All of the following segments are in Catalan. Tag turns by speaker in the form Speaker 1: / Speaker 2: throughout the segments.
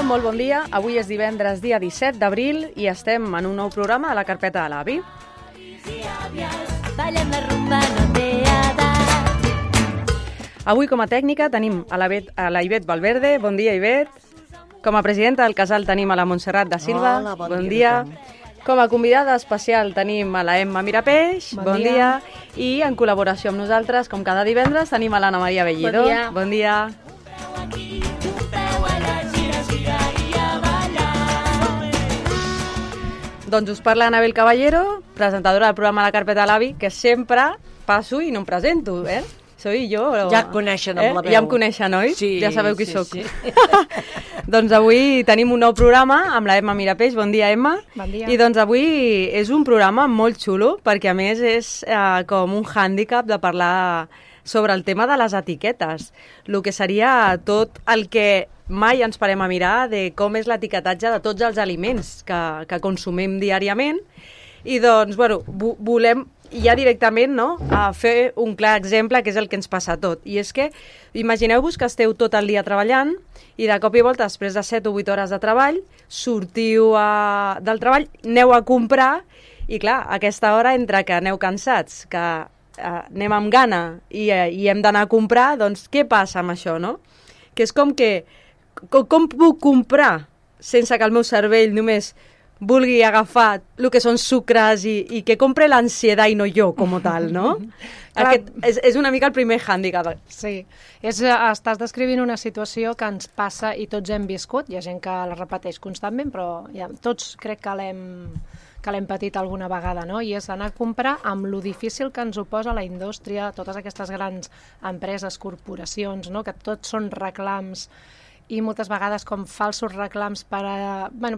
Speaker 1: molt bon dia. Avui és divendres, dia 17 d'abril, i estem en un nou programa de la carpeta de l'avi. Avui, com a tècnica, tenim a la Ivet Valverde. Bon dia, Ivet. Com a presidenta del casal tenim a la Montserrat da Silva.
Speaker 2: Hola,
Speaker 1: bon dia. Com a convidada especial tenim a la Emma Mirapeix. Bon dia. I en col·laboració amb nosaltres, com cada divendres, tenim a l'Anna Maria Bellido.
Speaker 3: Bon dia.
Speaker 1: Bon dia. Doncs us parla Anabel Caballero, presentadora del programa La Carpeta de l'Avi, que sempre passo i no em presento, eh? Soy jo.
Speaker 2: Ja et coneixen amb la veu.
Speaker 1: Ja em coneixen, oi?
Speaker 2: Sí,
Speaker 1: ja sabeu qui
Speaker 2: sí,
Speaker 1: sóc.
Speaker 2: sí.
Speaker 1: Doncs avui tenim un nou programa amb la Emma Mirapeix. Bon dia, Emma.
Speaker 3: Bon dia.
Speaker 1: I doncs avui és un programa molt xulo, perquè a més és com un hàndicap de parlar sobre el tema de les etiquetes. El que seria tot el que mai ens parem a mirar de com és l'etiquetatge de tots els aliments que consumim diàriament. I doncs, bueno, volem ja directament, no?, a fer un clar exemple, que és el que ens passa a tot. I és que, imagineu-vos que esteu tot el dia treballant i de cop i volta, després de 7 o 8 hores de treball, sortiu del treball, aneu a comprar i, clar, a aquesta hora, entre que aneu cansats, que anem amb gana i hem d'anar a comprar, doncs què passa amb això, no? Que és com que, com puc comprar sense que el meu cervell només vulgui agafar el que són sucres i que compre l'ansietat i no jo, com tal, no? Aquest és una mica el primer hàndicap.
Speaker 3: Sí, estàs descrivint una situació que ens passa i tots hem viscut. Hi ha gent que la repeteix constantment, però ja, tots crec que l'hem patit alguna vegada, no? I és anar a comprar amb lo difícil que ens ho posa la indústria, totes aquestes grans empreses, corporacions, no? Que tots són reclams i moltes vegades com falsos reclams per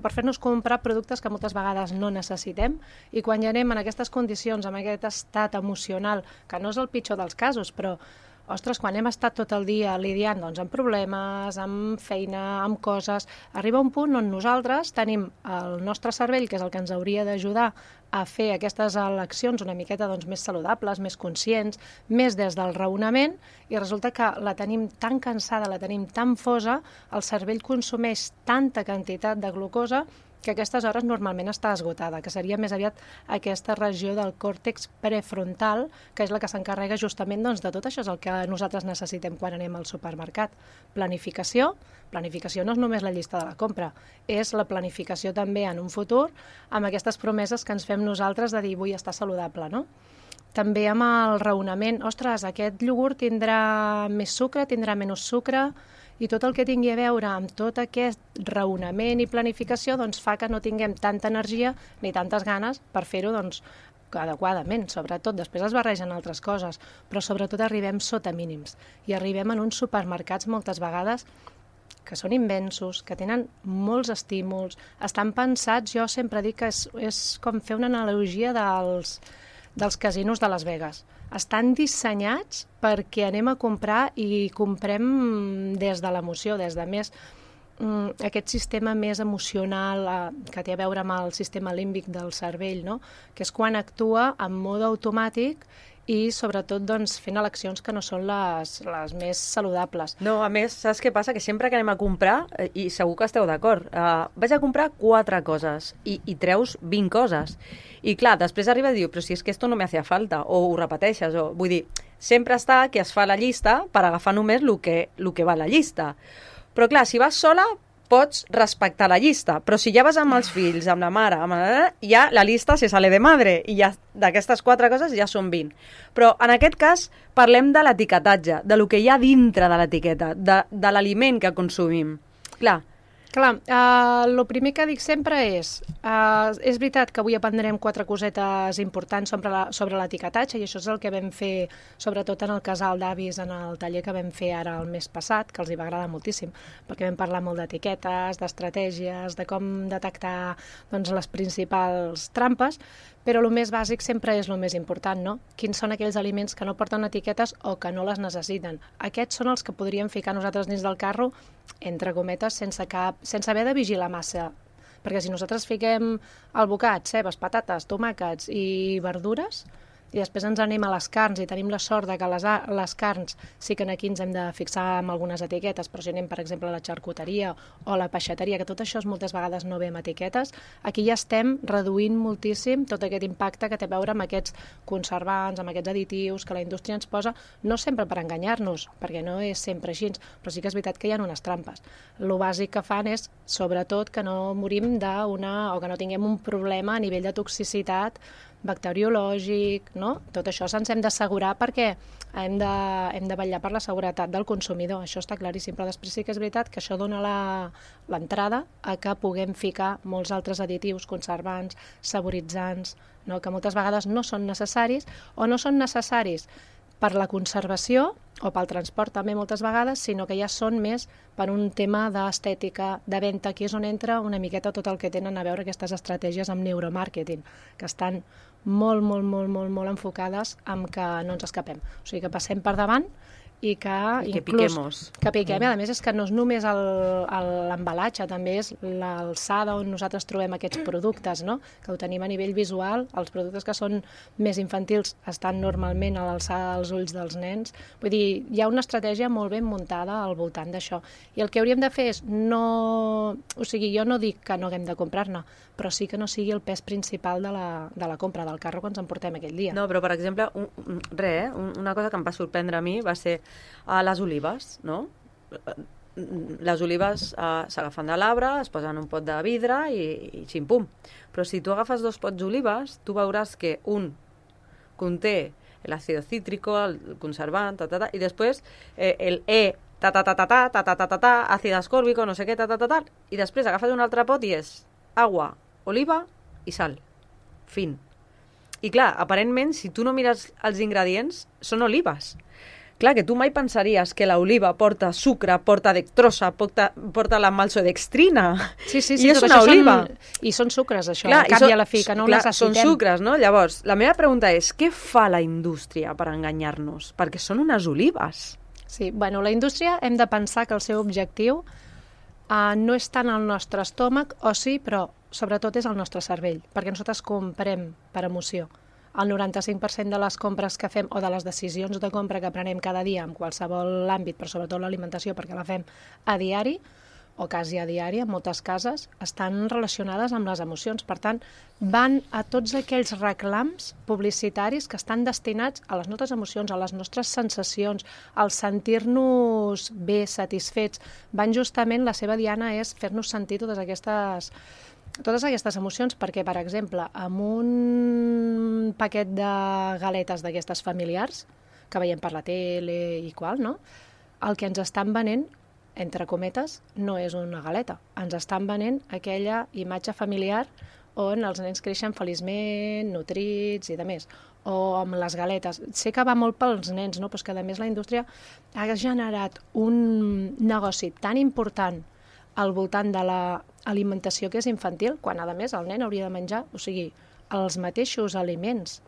Speaker 3: fer-nos comprar productes que moltes vegades no necessitem, i quan ja anem en aquestes condicions, amb aquest estat emocional, que no és el pitjor dels casos, però ostres, quan hem estat tot el dia lidiant amb problemes, amb feina, amb coses, arriba un punt on nosaltres tenim el nostre cervell, que és el que ens hauria d'ajudar a fer aquestes eleccions una miqueta més saludables, més conscients, més des del raonament, i resulta que la tenim tan cansada, la tenim tan fosa, el cervell consumeix tanta quantitat de glucosa que a aquestes hores normalment està esgotada, que seria més aviat aquesta regió del còrtex prefrontal, que és la que s'encarrega justament de tot això, és el que nosaltres necessitem quan anem al supermercat. Planificació no és només la llista de la compra, és la planificació també en un futur, amb aquestes promeses que ens fem nosaltres de dir vull estar saludable, no? També amb el raonament, ostres, aquest iogurt tindrà més sucre, tindrà menys sucre, i tot el que tingui a veure amb tot aquest raonament i planificació fa que no tinguem tanta energia ni tantes ganes per fer-ho adequadament. Sobretot, després es barregen altres coses, però sobretot arribem sota mínims i arribem en uns supermercats moltes vegades que són immensos, que tenen molts estímuls, estan pensats, jo sempre dic que és com fer una analogia dels casinos de Las Vegas. Estan dissenyats perquè anem a comprar i comprem des de l'emoció, des de més aquest sistema més emocional que té a veure amb el sistema límbic del cervell, no? Que és quan actua en mode automàtic i sobretot fent eleccions que no són les més saludables.
Speaker 1: No, a més, saps què passa? Que sempre que anem a comprar, i segur que esteu d'acord, vaig a comprar 4 coses i treus 20 coses. I clar, després arriba i diu, però si és que esto no me hacía falta, o ho repeteixes, o vull dir, sempre està que es fa la llista per agafar només el que va a la llista. Però clar, si vas sola, pots respectar la llista, però si ja vas amb els fills, amb la mare, ja la llista se sale de madre, i ja d'aquestes 4 coses ja són 20. Però en aquest cas parlem de l'etiquetatge, de lo que hi ha dintre de l'etiqueta, de l'aliment que consumim. Clar,
Speaker 3: el primer que dic sempre és veritat que avui aprendrem 4 cosetes importants sobre l'etiquetatge, i això és el que vam fer sobretot en el casal d'avis en el taller que vam fer ara el mes passat, que els hi va agradar moltíssim, perquè vam parlar molt d'etiquetes, d'estratègies, de com detectar les principals trampes, però el més bàsic sempre és el més important, no? Quins són aquells aliments que no porten etiquetes o que no les necessiten. Aquests són els que podríem ficar nosaltres dins del carro, entre cometes, sense haver de vigilar massa. Perquè si nosaltres fiquem alvocats, cebes, patates, tomàquets i verdures, i després ens anem a les carns i tenim la sort de que les carns sí que aquí ens hem de fixar amb algunes etiquetes, però si anem, per exemple, a la xarcuteria o a la peixateria, que tot això moltes vegades no ve amb etiquetes, aquí ja estem reduint moltíssim tot aquest impacte que té a veure amb aquests conservants, amb aquests additius que la indústria ens posa, no sempre per enganyar-nos, perquè no és sempre així, però sí que és veritat que hi ha unes trampes. Lo bàsic que fan és, sobretot, que no morim o que no tinguem un problema a nivell de toxicitat bacteriològic, no? Tot això se'ns hem d'assegurar perquè hem de vetllar per la seguretat del consumidor, això està claríssim, però després sí que és veritat que això dona l'entrada a que puguem ficar molts altres additius, conservants, saboritzants, no? Que moltes vegades no són necessaris o no són necessaris per la conservació o pel transport també moltes vegades, sinó que ja són més per un tema d'estètica, de venda, aquí és on entra una miqueta tot el que tenen a veure aquestes estratègies amb neuromàrqueting, que estan molt enfocades amb que no ens escapem. O sigui, que passem per davant i que
Speaker 1: piquemos.
Speaker 3: Que piquem, i a més és que no és només l'embalatge, també és l'alçada on nosaltres trobem aquests productes, no? Que ho tenim a nivell visual, els productes que són més infantils estan normalment a l'alçada dels ulls dels nens, vull dir, hi ha una estratègia molt ben muntada al voltant d'això, i el que hauríem de fer és o sigui, jo no dic que no haguem de comprar-ne, però sí que no sigui el pes principal de la compra, del carro que ens emportem aquell dia.
Speaker 1: No, però per exemple, una cosa que em va sorprendre a mi va ser les olives, no? Les olives s'agafen de l'arbre, es posen en un pot de vidre i xim-pum. Però si tu agafes 2 pots d'olives, tu veuràs que un conté l'àcido cítrico, el conservant, i després el àcid ascórbico, no sé què, i després agafes un altre pot i és aigua, oliva i sal. Fin. I clar, aparentment, si tu no mires els ingredients, són olives. Clar, que tu mai pensaries que l'oliva porta sucre, porta dextrosa, porta la maltodextrina.
Speaker 3: Sí,
Speaker 1: i és una oliva.
Speaker 3: I són sucres, això, al cap i a la fi, que no ho necessitem.
Speaker 1: Són sucres, no? Llavors, la meva pregunta és, què fa la indústria per enganyar-nos? Perquè són unes olives.
Speaker 3: Sí, bueno, la indústria hem de pensar que el seu objectiu no és tant el nostre estómac, o sí, però sobretot és el nostre cervell, perquè nosaltres comprem per emoció. El 95% de les compres que fem o de les decisions de compra que prenem cada dia en qualsevol àmbit, però sobretot l'alimentació perquè la fem a diari o quasi a diari en moltes cases, estan relacionades amb les emocions. Per tant, van a tots aquells reclams publicitaris que estan destinats a les nostres emocions, a les nostres sensacions, al sentir-nos bé, satisfets. Van justament, la seva diana és fer-nos sentir totes aquestes emocions, perquè, per exemple, amb un paquet de galetes d'aquestes familiars, que veiem per la tele i qual, no? El que ens estan venent, entre cometes, no és una galeta. Ens estan venent aquella imatge familiar on els nens creixen feliçment, nutrits i de més. O amb les galetes. Sé que va molt pels nens, no? Però és que, a més, la indústria ha generat un negoci tan important al voltant de l'alimentació que és infantil, quan, a més, el nen hauria de menjar, o sigui, els mateixos aliments,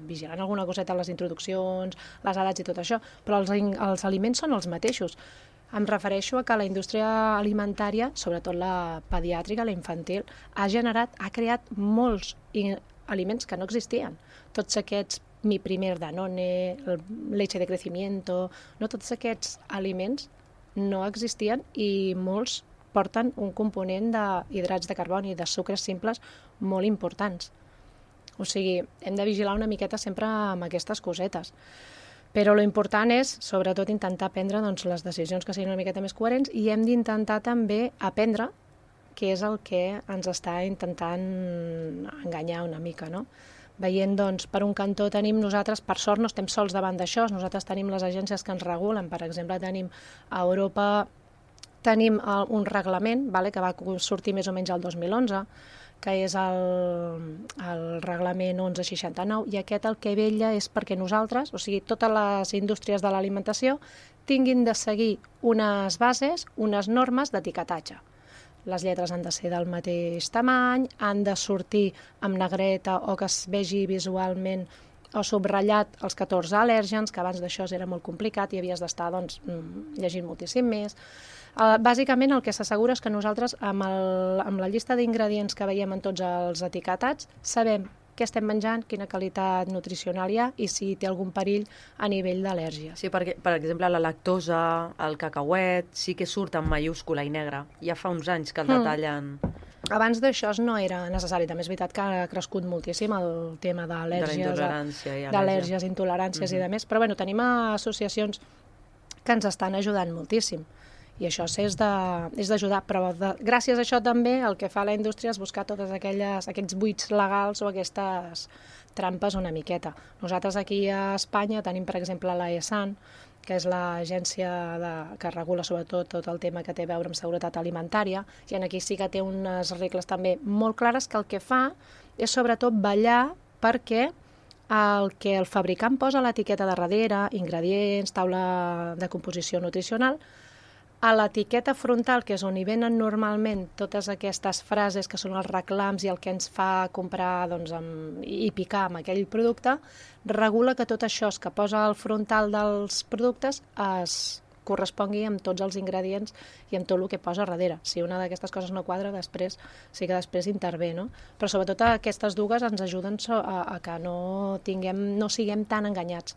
Speaker 3: vigilant alguna coseta a les introduccions, les edats i tot això, però els aliments són els mateixos. Em refereixo a que la indústria alimentària, sobretot la pediàtrica, la infantil, ha creat molts aliments que no existien. Tots aquests Mi Primer Danone, leche de crecimiento, no, tots aquests aliments no existien i molts porten un component d'hidrats de carboni i de sucres simples molt importants. O sigui, hem de vigilar una miqueta sempre amb aquestes cosetes. Però l'important és, sobretot, intentar prendre les decisions que siguin una miqueta més coherents i hem d'intentar també aprendre què és el que ens està intentant enganyar una mica, no? Veient, per un cantó tenim nosaltres, per sort no estem sols davant d'això, nosaltres tenim les agències que ens regulen, per exemple, tenim a Europa un reglament que va sortir més o menys el 2011, que és el reglament 1169, i aquest el que vetlla és perquè nosaltres, o sigui, totes les indústries de l'alimentació, tinguin de seguir unes bases, unes normes d'etiquetatge. Les lletres han de ser del mateix tamany, han de sortir amb negreta o que es vegi visualment o subratllat els 14 al·lèrgens, que abans d'això era molt complicat i havies d'estar llegint moltíssim més. Bàsicament el que s'assegura és que nosaltres amb la llista d'ingredients que veiem en tots els etiquetats sabem què estem menjant, quina qualitat nutricional hi ha i si té algun perill a nivell d'al·lèrgies.
Speaker 1: Sí, perquè, per exemple, la lactosa, el cacauet, sí que surt en mayúscula i negra. Ja fa uns anys que el detallen.
Speaker 3: Abans d'això no era necessari. També és veritat que ha crescut moltíssim el tema d'al·lèrgies, intoleràncies i de més. Però bueno, tenim associacions que ens estan ajudant moltíssim. I això és d'ajudar. Però gràcies a això també el que fa la indústria és buscar tots aquests buits legals o aquestes trampes una miqueta. Nosaltres aquí a Espanya tenim, per exemple, la ESAN, que és l'agència que regula sobretot tot el tema que té a veure amb seguretat alimentària, i aquí sí que té unes regles també molt clares que el que fa és sobretot vetllar perquè el que el fabricant posa a l'etiqueta de darrere, ingredients, taula de composició nutricional, a l'etiqueta frontal, que és on hi venen normalment totes aquestes frases que són els reclams i el que ens fa comprar i picar amb aquell producte, regula que tot això que posa al frontal dels productes es correspongui amb tots els ingredients i amb tot el que posa darrere. Si una d'aquestes coses no quadra, després intervé, no? Però sobretot aquestes dues ens ajuden a que no siguem tan enganyats.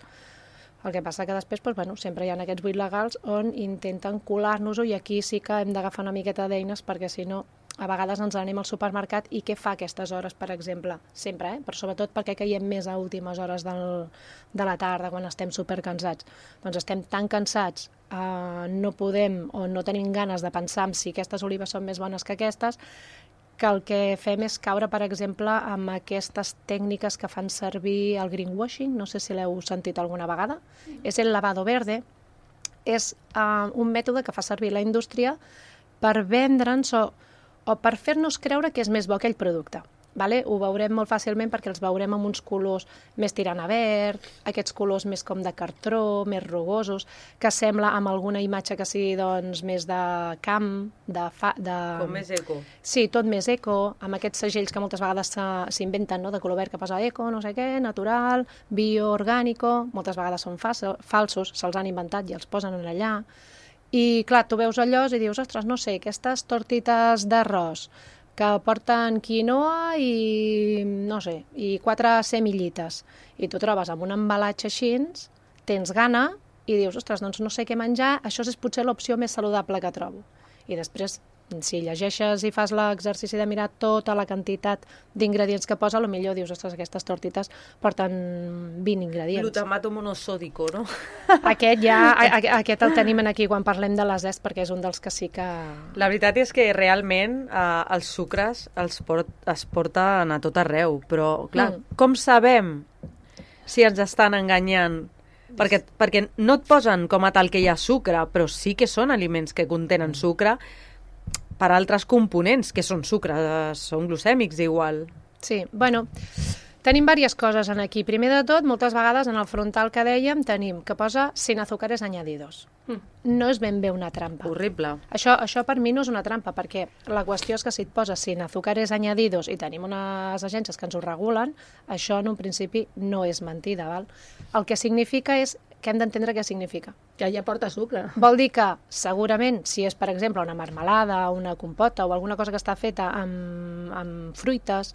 Speaker 3: El que passa que després sempre hi ha aquests buits legals on intenten colar-nos-ho i aquí sí que hem d'agafar una miqueta d'eines perquè si no a vegades ens anem al supermercat i què fa a aquestes hores, per exemple? Sempre, però sobretot perquè caiem més a últimes hores de la tarda quan estem supercansats. Doncs estem tan cansats, no podem o no tenim ganes de pensar en si aquestes olives són més bones que aquestes, que el que fem és caure, per exemple, amb aquestes tècniques que fan servir el greenwashing, no sé si l'heu sentit alguna vegada, és el lavado verde, és un mètode que fa servir la indústria per vendre'ns o per fer-nos creure que és més bo aquell producte. Vale? Ho veurem molt fàcilment perquè els veurem amb uns colors més tirant a verd, aquests colors més com de cartró, més rugosos, que sembla amb alguna imatge que sigui més de camp,
Speaker 1: com més eco.
Speaker 3: Sí, tot més eco, amb aquests segells que moltes vegades s'inventen, no? De color verd que posa eco, no sé què, natural, bio, orgànico, moltes vegades són falsos, se'ls han inventat i els posen allà. I clar, tu veus allò i dius, ostres, no sé, aquestes tortites d'arròs que porten quinoa i, no sé, i 4 semillites. I tu trobes amb un embalatge així, tens gana i dius, ostres, doncs no sé què menjar, això és potser l'opció més saludable que trobo. I després, si llegeixes i fas l'exercici de mirar tota la quantitat d'ingredients que posa, potser dius, ostres, aquestes tortites porten 20 ingredients.
Speaker 1: Glutamato monosòdico, no?
Speaker 3: Aquest el tenim aquí quan parlem de les est, perquè és un dels que sí que...
Speaker 1: La veritat és que realment els sucres es porten a tot arreu, però clar, com sabem si ens estan enganyant? Perquè no et posen com a tal que hi ha sucre, però sí que són aliments que contenen sucre per altres components, que són sucre, són glucèmics igual.
Speaker 3: Sí, bueno, tenim diverses coses aquí. Primer de tot, moltes vegades en el frontal que dèiem tenim que posa sin azúcares añadidos. No és ben bé una trampa.
Speaker 1: Horrible.
Speaker 3: Això per mi no és una trampa, perquè la qüestió és que si et posa sin azúcares añadidos i tenim unes agències que ens ho regulen, això en un principi no és mentida, val? El que significa és que hem d'entendre què significa.
Speaker 2: Que ja porta sucre.
Speaker 3: Vol dir que, segurament, si és, per exemple, una marmelada, una compota o alguna cosa que està feta amb fruites,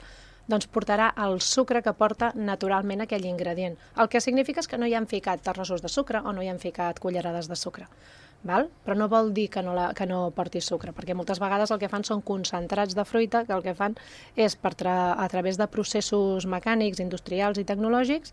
Speaker 3: doncs portarà el sucre que porta naturalment aquell ingredient. El que significa és que no hi han ficat terrossos de sucre o no hi han ficat cullerades de sucre. Val? Però no vol dir que no porti sucre, perquè moltes vegades el que fan són concentrats de fruita, que el que fan és, a través de processos mecànics, industrials i tecnològics,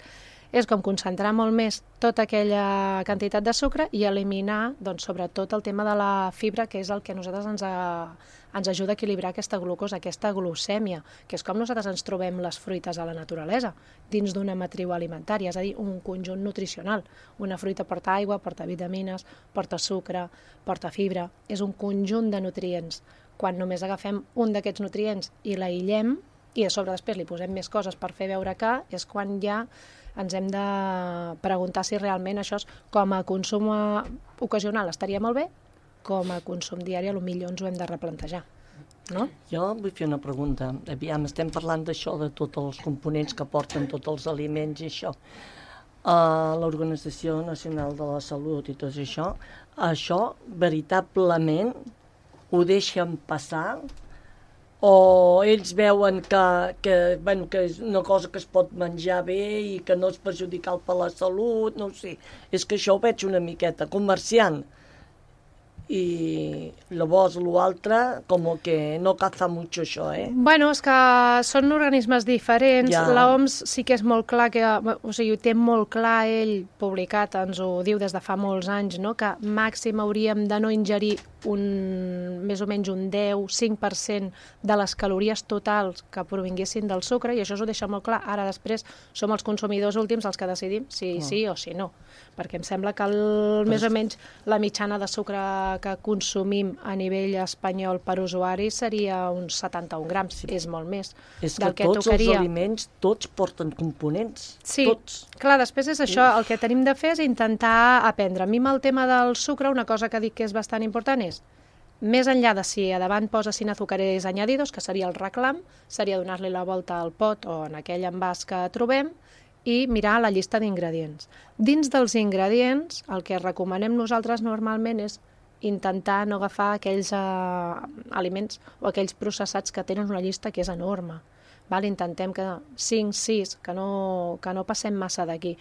Speaker 3: és com concentrar molt més tota aquella quantitat de sucre i eliminar, doncs, sobretot el tema de la fibra, que és el que a nosaltres ens ajuda a equilibrar aquesta glucosa, aquesta glucèmia, que és com nosaltres ens trobem les fruites a la naturalesa, dins d'una matriu alimentària, és a dir, un conjunt nutricional. Una fruita porta aigua, porta vitamines, porta sucre, porta fibra, és un conjunt de nutrients. Quan només agafem un d'aquests nutrients i l'aïllem, i a sobre després li posem més coses per fer veure que, és quan ja ens hem de preguntar si realment això com a consum ocasional estaria molt bé, com a consum diari potser ens ho hem de replantejar. No?
Speaker 2: Jo vull fer una pregunta. Aviam, estem parlant d'això, de tots els components que porten tots els aliments i això. L'Organització Nacional de la Salut i tot això veritablement ho deixen passar o ells veuen que és una cosa que es pot menjar bé i que no és perjudicial per la salut, no ho sé. És que això ho veig una miqueta comerciant. I llavors l'altre com que no caza mucho això,
Speaker 3: Bueno, és que són organismes diferents.
Speaker 2: Ja.
Speaker 3: L'OMS sí que és molt clar, o sigui, ho té molt clar ell publicat, ens ho diu des de fa molts anys, no? Que màxim hauríem de no ingerir més o menys un 10-5% de les calories totals que provinguessin del sucre, i això ho deixa molt clar. Ara després som els consumidors últims els que decidim si sí o si no, perquè em sembla que més o menys la mitjana de sucre que consumim a nivell espanyol per usuari seria uns 71 grams, és molt més
Speaker 2: és
Speaker 3: del
Speaker 2: que
Speaker 3: que
Speaker 2: tots
Speaker 3: tocaria.
Speaker 2: els aliments, tots porten components,
Speaker 3: Sí,
Speaker 2: tots.
Speaker 3: clar, després és això, el que tenim de fer és intentar aprendre. A mi amb el tema del sucre, una cosa que dic que és bastant important és, més enllà de si a davant posa sin azúcares añadidos, que seria el reclam, seria donar-li la volta al pot o en aquell envàs que trobem i mirar la llista d'ingredients. Dins dels ingredients, el que recomanem nosaltres normalment és intentar no agafar aquells aliments o aquells processats que tenen una llista que és enorme. Val? Intentem que 5, 6, que no passem massa d'aquí.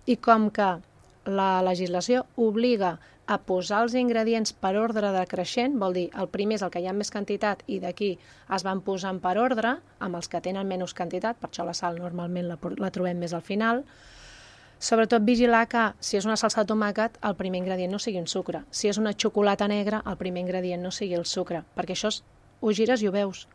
Speaker 3: I com que la legislació obliga a posar els ingredients per ordre decreixent, vol dir, el primer és el que hi ha més quantitat i d'aquí es van posant per ordre, amb els que tenen menys quantitat, per això la sal normalment la trobem més al final. Sobretot vigilar que si és una salsa de tomàquet el primer ingredient no sigui un sucre. Si és una xocolata negra el primer ingredient no sigui el sucre, perquè això ho gires i ho veus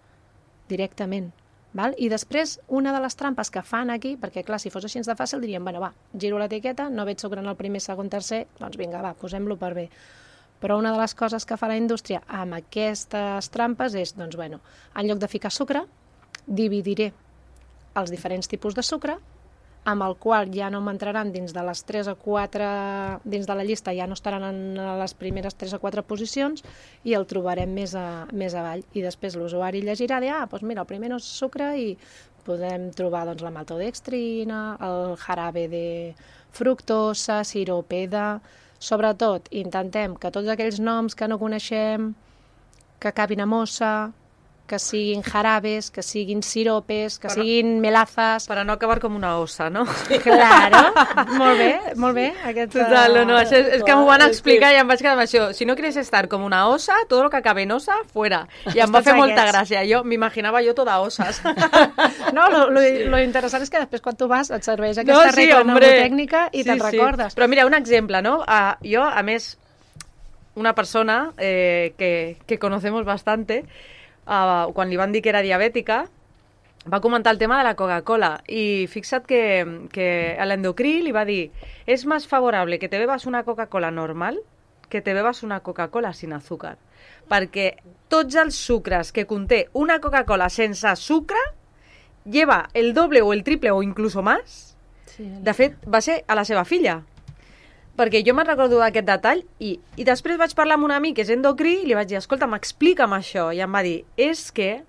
Speaker 3: directament. Val? I després, una de les trampes que fan aquí, perquè clar, si fos així de fàcil diríem, bueno, va, giro l'etiqueta, no veig sucre en el primer, segon, tercer, doncs vinga, va, posem-lo per bé. Però una de les coses que fa la indústria amb aquestes trampes és, doncs bueno, en lloc de ficar sucre, dividiré els diferents tipus de sucre, amb el qual ja no m'entraran dins de les 3 o 4, dins de la llista ja no estaran en les primeres 3 o 4 posicions i el trobarem més avall. I després l'usuari llegirà de, doncs mira, el primer no és sucre i podem trobar doncs, la maltodextrina, el jarabe de fructosa, siropeda. Sobretot, intentem que tots aquells noms que no coneixem, que acabin a mossa, que siguin jarabes, que siguin siropes, que siguin melazas...
Speaker 1: Per a no acabar com una ossa, no?
Speaker 3: Claro, molt bé.
Speaker 1: Total, no, això és que m'ho van explicar i em vaig quedar amb això. Si no quieres estar com una osa, todo lo que acabe en osa, fuera. I em va fer molta gràcia. Jo m'imaginava jo toda osas.
Speaker 3: No, lo interessant és que després quan tu vas et serveix aquesta regla mnemotècnica i te'n recordes.
Speaker 1: Però mira, un exemple, no? Jo, a més, una persona que conocemos bastante, quan li van dir que era diabètica, va comentar el tema de la Coca-Cola i fixa't que a l'endocrí li va dir és més favorable que te bebas una Coca-Cola normal que te bebas una Coca-Cola sin azúcar, perquè tots els sucres que conté una Coca-Cola sense sucre lleva el doble o el triple o incluso más. De fet, va ser a la seva filla, perquè jo me'n recordo d'aquest detall i després vaig parlar amb un amic que és endocrí i li vaig dir, escolta, m'explica'm això, i em va dir, és que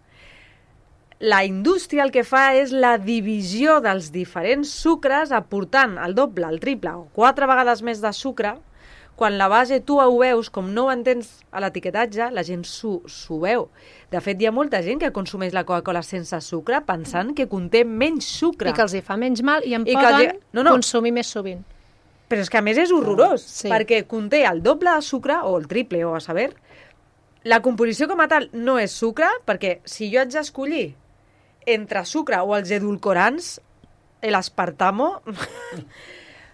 Speaker 1: la indústria el que fa és la divisió dels diferents sucres aportant el doble, el triple o 4 vegades més de sucre, quan la base tu ho veus, com no ho entens a l'etiquetatge, la gent s'ho veu. De fet, hi ha molta gent que consumeix la Coca-Cola sense sucre pensant que conté menys sucre.
Speaker 3: I que els hi fa menys mal i en poden consumir més sovint.
Speaker 1: Però és que a més és horrorós, perquè conté el doble de sucre, o el triple, o a saber. La composició com a tal no és sucre, perquè si jo haig d'escollir entre sucre o els edulcorants, l'aspartamo...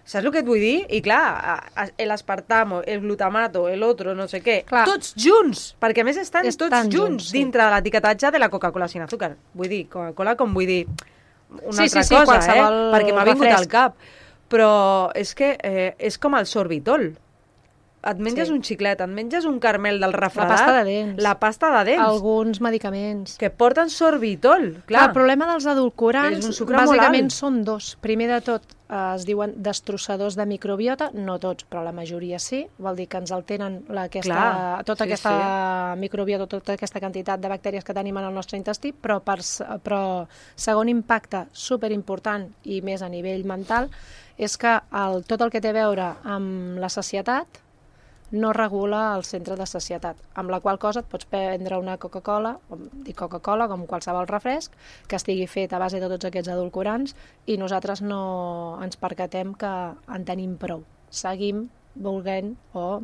Speaker 1: Saps el que et vull dir? I clar, l'aspartamo, el glutamato, l'altre, no sé què, tots junts, perquè a més estan tots junts dintre de l'etiquetatge de la Coca-Cola sin azúcar. Vull dir, Coca-Cola com vull dir una altra cosa, perquè m'ha vingut al cap. Però és que és com el sorbitol. Et menges un xiclet, et menges un caramel del refredat...
Speaker 3: La pasta de dents.
Speaker 1: La pasta de dents.
Speaker 3: Alguns medicaments.
Speaker 1: Que porten sorbitol, clar.
Speaker 3: El problema dels edulcorants bàsicament són dos. Primer de tot, es diuen destrossadors de microbiota, no tots, però la majoria sí. Vol dir que ens alteren tota aquesta microbiota, tota aquesta quantitat de bactèries que tenim en el nostre intestí, però segon impacte superimportant i més a nivell mental és que tot el que té a veure amb la sacietat no regula el centre de sacietat, amb la qual cosa et pots prendre una Coca-Cola, dic Coca-Cola com qualsevol refresc, que estigui fet a base de tots aquests edulcorants i nosaltres no ens percatem que en tenim prou. Seguim volent o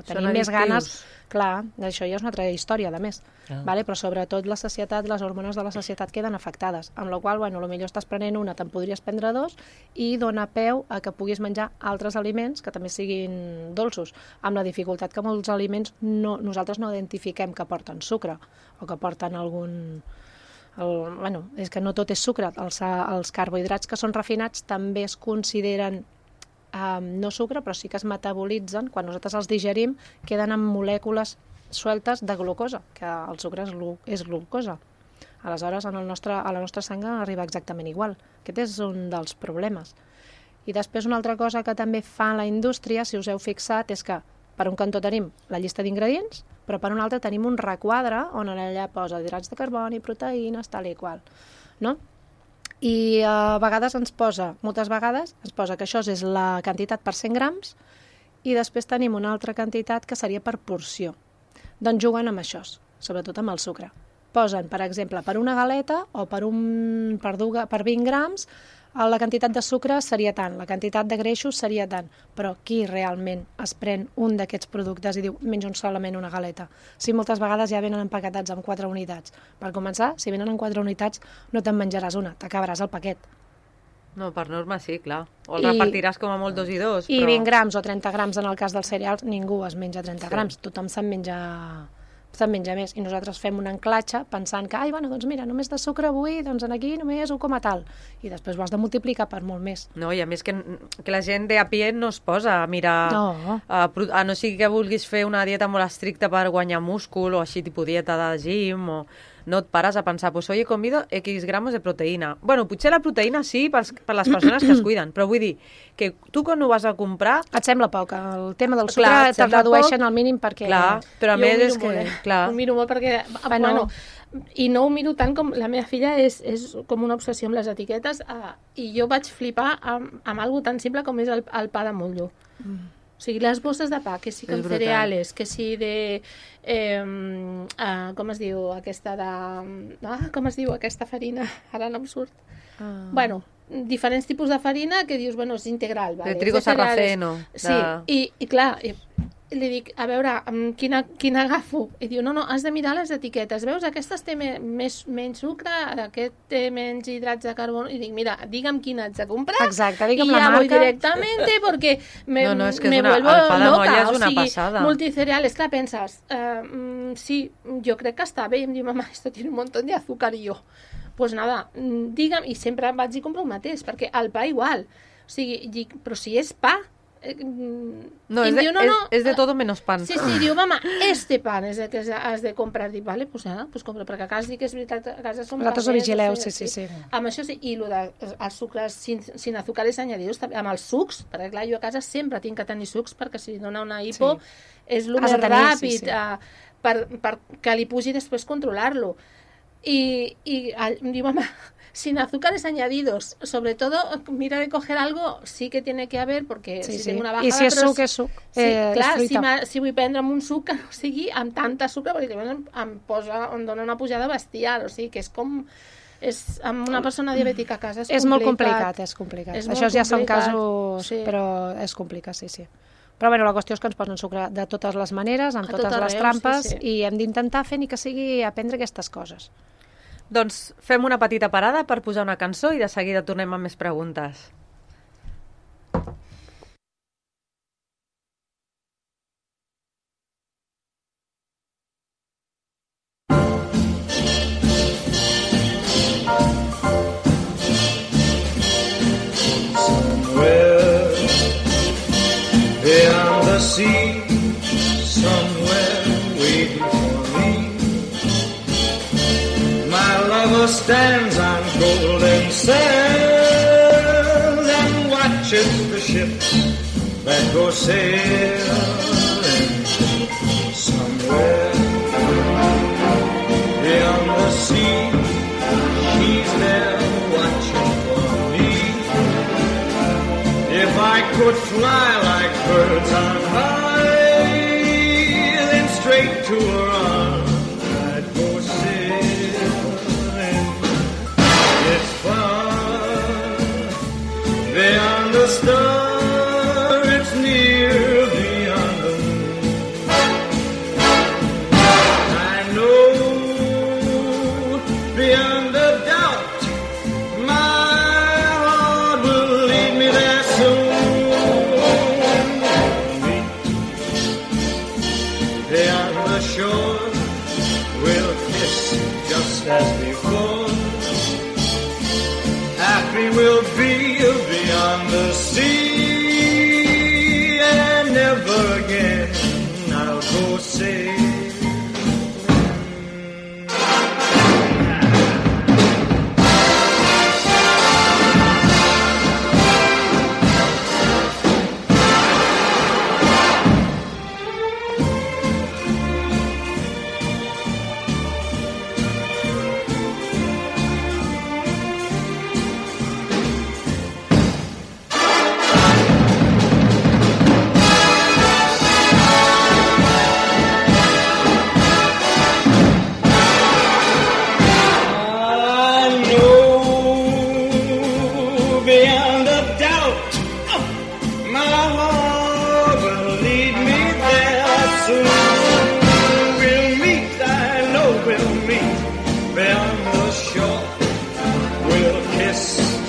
Speaker 3: tenim més ganes. Clar, això ja és una altra història, a més. Vale? Però sobretot la sacietat, les hormones de la sacietat queden afectades, amb la qual cosa, potser estàs prenent una, te'n podries prendre dos i dona peu a que puguis menjar altres aliments que també siguin dolços, amb la dificultat que molts aliments nosaltres no identifiquem que porten sucre o que porten algun... és que no tot és sucre. Els carbohidrats que són refinats també es consideren no sucre, però sí que es metabolitzen, quan nosaltres els digerim, queden amb molècules sueltes de glucosa, que el sucre és glucosa. Aleshores, a la nostra sang arriba exactament igual. Aquest és un dels problemes. I després una altra cosa que també fa la indústria, si us heu fixat, és que per un cantó tenim la llista d'ingredients, però per un altre tenim un requadre on allà posa hidrats de carboni, proteïnes, tal i qual. No? I a vegades moltes vegades ens posa que això és la quantitat per 100 grams i després tenim una altra quantitat que seria per porció. Doncs juguen amb això, sobretot amb el sucre. Posen, per exemple, per una galeta o per 20 grams, la quantitat de sucre seria tant, la quantitat de greixos seria tant, però qui realment es pren un d'aquests productes i diu menjo solament una galeta? Si moltes vegades ja venen empaquetats amb 4 unitats. Per començar, si venen amb 4 unitats no te'n menjaràs una, t'acabaràs el paquet.
Speaker 1: No, per norma sí, clar. O el repartiràs com a molt 2 i 2.
Speaker 3: I 20 grams o 30 grams en el cas dels cereals, ningú es menja 30 grams, tothom se'n menja més. I nosaltres fem un anclatge pensant que, doncs mira, només de sucre avui, doncs aquí només 1 com a tal. I després ho has de multiplicar per molt més.
Speaker 1: No, i a més que la gent de a pie no es posa a mirar...
Speaker 3: No.
Speaker 1: A no sigui que vulguis fer una dieta molt estricta per guanyar múscul o així tipus dieta de gym o... No et pares a pensar, pues hoy he comido X gramos de proteïna. Bueno, potser la proteïna sí per les persones que es cuiden, però vull dir que tu quan ho vas a comprar...
Speaker 3: Et sembla poc, el tema del sucre te'l redueixen al mínim perquè...
Speaker 1: Clar, però a més és que...
Speaker 4: Ho miro molt perquè... Bueno, i no ho miro tant com la meva filla és com una obsessió amb les etiquetes i jo vaig flipar amb algo tan simple com és el pa de motllo. O sigui, les bosses de pa, que sí con cereales, que sí de... com es diu aquesta de... com es diu aquesta farina? Ara no em surt. Bueno, diferents tipus de farina que dius, bueno, és integral. Vale?
Speaker 1: De trigo sarraceno.
Speaker 4: Sí, i clar... li dic, a veure, quina agafo? I diu, no, has de mirar les etiquetes. Veus, aquestes té menys sucre, aquest té menys hidrats de carboni. I dic, mira, digue'm quina haig de comprar.
Speaker 3: Exacte, digue'm la marca.
Speaker 4: I ja voy directamente, porque me vuelvo
Speaker 1: loca. El pa de molla és una
Speaker 4: passada.
Speaker 1: passada.
Speaker 4: Multicereales, clar, penses, sí, jo crec que està bé. I em diu, mamà, esto tiene un montón de azúcar. I jo, pues nada, digue'm, i sempre vaig i compro el mateix, perquè el pa igual. O sigui, dic, però si és pa,
Speaker 1: no, es de todo menos pan.
Speaker 4: Sí, diu, mama, este pan és el que has de comprar. Dic, vale, pues nada, pues compro, perquè a casa dic que és veritat, a casa som
Speaker 3: vosaltres ho vigileu, sí.
Speaker 4: Amb això sí, i els sucres sin azúcares añadidos, amb els sucs, perquè clar, jo a casa sempre tinc que tenir sucs, perquè si dona una hipo és el més ràpid per que li pugi després controlar-lo. Y digo, mamá, sin azúcares añadidos, sobre todo, mira de coger algo, sí que tiene que haver, porque si tengo una bajada...
Speaker 3: I si és suc, és suc.
Speaker 4: Sí, clar, si vull prendre'm un suc que no sigui amb tanta sucre, perquè em dona una pujada bestial, o sigui que és com... amb una persona diabètica a casa és
Speaker 3: molt complicat. Això ja són casos, però és complicat, sí. Però bueno, la qüestió és que ens posen sucre de totes les maneres, amb totes les trampes, i hem d'intentar fer ni que sigui aprendre aquestes coses.
Speaker 1: Doncs fem una petita parada per posar una cançó i de seguida tornem amb més preguntes.
Speaker 5: Somewhere beyond the sea, somewhere waiting for me, my lover stands on golden sand and watches the ships that go sailing. Somewhere beyond the sea, she's there watching for me. If I could fly like birds on high, to a run, I'd go sailing. It's far beyond the star, it's near beyond the moon. I know beyond a doubt my heart will lead me there soon. Meet beyond the shore, we'll kiss just as before. Happy we'll be beyond the sea, and never again I'll go sailing.